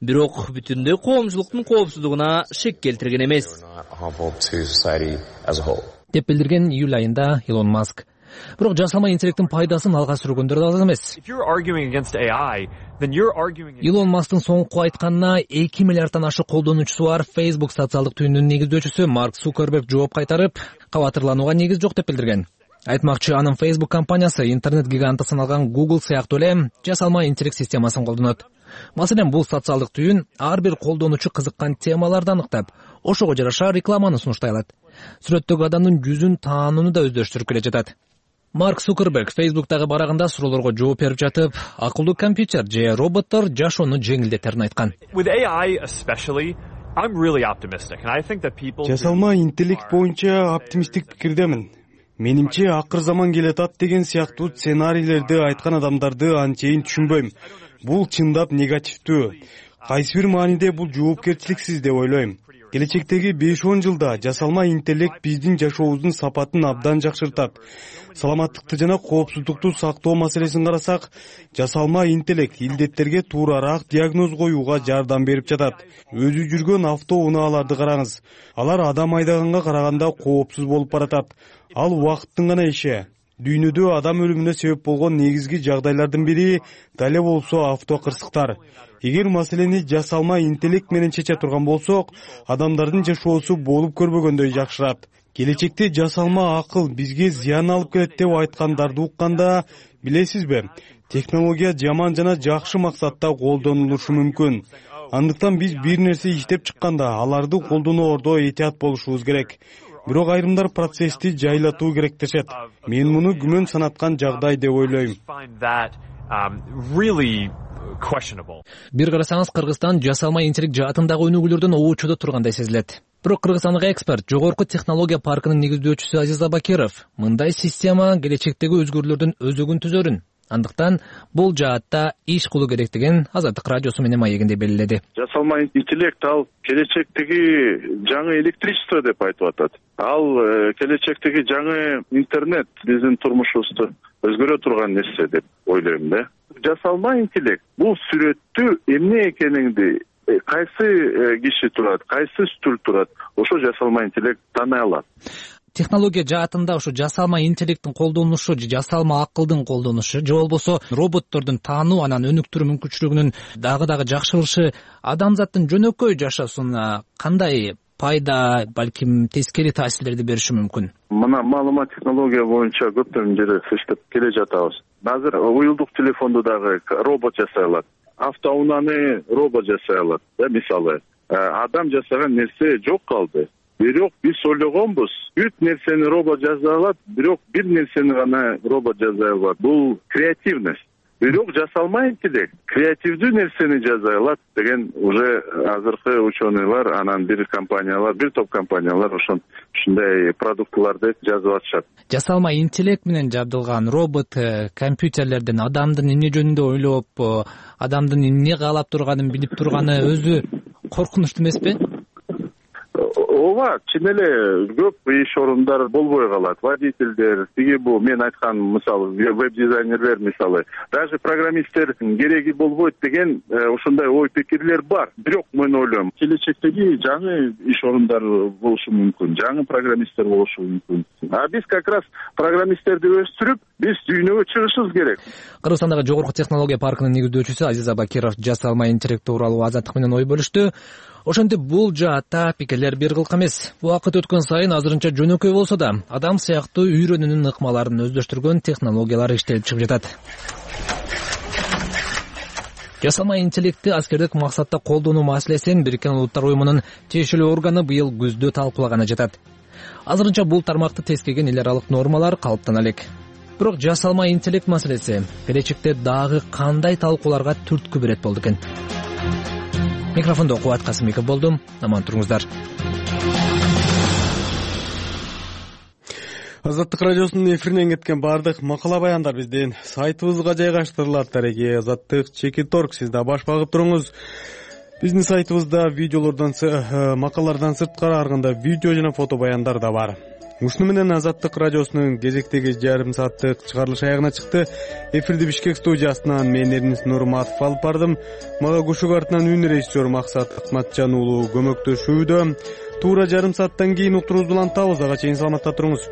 Бирок бүтүндөй коомчулуктун коопсуздугуна шек келтирген эмес. Деп билдирген июль айында Илон Маск. Бирок жасалма интеллекттин пайдасын алга сүргөндөр да аз эмес. Илон Масктын соңку айтканына 2 миллиарддан ашык колдонуучусу бар Facebook социалдык түйүнүнүн негиздөөчүсү Марк Цукерберг жооп кайтарып, кабатырланууга негиз жок деп билдирген. Айтмакчы, анын Facebook компаниясы интернет гиганты саналган Google сыяктуу эле жасалма интеллект системасын колдонот. Маселен, бул социалдык түйүн ар бир колдонуучу кызыккан темаларды аныктап, ошого жараша рекламаны сунуштай алат. Сүрөттөгү адамдын жүзүн таанууну да өздөштүрүп келе жатат. Марк Цукерберг Facebook'тагы барагында суроолорго жооп берип жатып, акылдуу компьютер же роботтор жашоону жеңилдетерин айткан. Жасалма интеллект боюнча оптимисттик пикирдемин. Менимче акыр заман келатат деген сыяктуу сценарийлерди айткан адамдарды анчейин түшүнбөйм. Бул чындап негативдүү. Кайсы бир мааниде бул жоопкерчиликсиз деп ойлойм. Келечектеги 5-10 жылда жасалма интеллект биздин жашообуздун сапатын абдан жакшыртат. Саламаттыкты жана коопсуздукту сактоо маселесин карасак, жасалма интеллект илдеттерге туурараак диагноз коюуга жардам берип жатат. Өзү жүргөн автоунааларды караңыз. Алар адам айдаганга караганда коопсуз болуп баратат. Ал убакыттын гана иши. Дүйнөдө адам өлүмүнө себеп болгон негизги жагдайлардын бири дале болсо автокырсыктар. Эгер маселени жасалма интеллект менен чече турган болсок, адамдардын жашоосу болуп көрбөгөндөй жакшырат. Келечекте жасалма акыл бизге зыян алып келет деп айткандарды укканда, билесизби, технология жаман жана жакшы максатта колдонулушу мүмкүн. Андыктан биз бир нерсе иштеп чыкканда аларды колдоноордо этият болушубуз керек. Бирок айрымдар процессти жайлатуу керек дешет. Мен муну күмөн санаткан жагдай деп ойлойм. Бир карасаңыз, Кыргызстан жасалма интеллект жаатындагы өнүгүүлөрдөн оочудо тургандай сезилет. Бирок кыргызстандык эксперт, жогорку технология паркынын негиздөөчүсү Азиза Бакиров мындай система келечектеги өзгөрүүлөрдүн өзөгүн түзөрүн, андыктан бул жаатта иш кылуу керектигин Азаттык радиосу менен маегинде белгиледи. Жасалма интеллект ал келечектеги жаңы электричество деп айтып атат. Ал келечектеги жаңы интернет биздин турмушубузду өзгөрө турган нерсе деп ойлойм да. Жасалма интеллект бул сүрөттү эмне экениңди, кайсы киши турат, кайсы стул турат, ошо жасалма интеллект тааный алат. Технология жаатында ошо жасалма интеллекттин колдонушу, жасалма акылдын колдонушу, же болбосо роботтордун таануу, анан өнүктүрүү мүмкүнчүлүгүнүн дагы жакшырышы адамзаттын жөнөкөй жашоосуна кандай пайда, балким тескери таасирлерди бериши мүмкүн? Мына маалымат технология боюнча көптөн жери иштеп келе жатабыз. Азыр уюлдук телефонду дагы робот жасай алат. Автоунааны робот жасай алат. Мисалы, адам жасаган нерсе жок калды. Бирок биз ойлогонбуз, бүт нерсени робот жасай алат, бирок бир нерсени гана робот жасай албайт. Бул креативность. Бирок жасалма интеллект креативдүү нерсени жасай алат деген уже азыркы ученыйлар, анан бир топ компаниялар ушундай продуктларды жазып атышат. Жасалма интеллект менен жабдылган робот компьютерлерден адамдын эмне жөнүндө ойлоп, адамдын эмне каалап турганын билип турганы өзү коркунучтуу эмеспи? Ооба, чын эле көп иш орундар болбой калат. Водительдер, бул мен айткан мисалы веб-дизайнерлер мисалы, даже программисттер кереги болбойт деген ушундай ой пикирлер бар. Бирок мен ойлойм, келечектеги жаңы иш орундар болушу мүмкүн, жаңы программисттер болушу мүмкүн. А биз как раз программисттерди өстүрүп, биз дүйнөгө чыгышыбыз керек. Кыргызстандагы жогорку технология паркынын негиздөөчүсү Азиза Бакиров жасалма интеллект тууралуу Азаттык менен ой бөлүштү. Ошентип бул жаатта пикирлер бир кылк эмес. Убакыт өткөн сайын азырынча жөнөкөй болсо да, адам сыяктуу үйрөнүүнүн ыкмаларын өздөштүргөн технологиялар иштелип чыгып жатат. Жасалма интеллектти аскердик максатта колдонуу маселесин Бириккен Улуттар Уюмунун тиешелүү органы быйыл күздө талкуулаганы жатат. Азырынча бул тармакты тескеген эл аралык нормалар калыптана элек. Бирок жасалма интеллект маселеси келечекте дагы кандай талкууларга түрткү берет болду экен? Микрофондо Кубат Касымбеков болдум. Аман туруңуздар. Азаттык радиосунун эфиринен кеткен бардык макала баяндар биздин сайтыбызга жайгаштырылат. Тареги Азаттык.org. Сиз да баш багып туруңуз. Биздин сайтыбызда видеолордон, макалалардан сырткары ар кандай видео жана фото баяндар да бар. Ушуну менен Азаттык радиосунун кезектеги жарым сааттык чыгарылыш аягына чыкты. Эфирди Бишкек студиясынан мен Эрнис Нурматов алып бардым. Мага көшөк артынан үн режиссер Максат Акматжан уулу көмөктөшүүдө. Туура жарым сааттан кийин уктуруубузду улантабыз. Ага чейин саламатта туруңуз.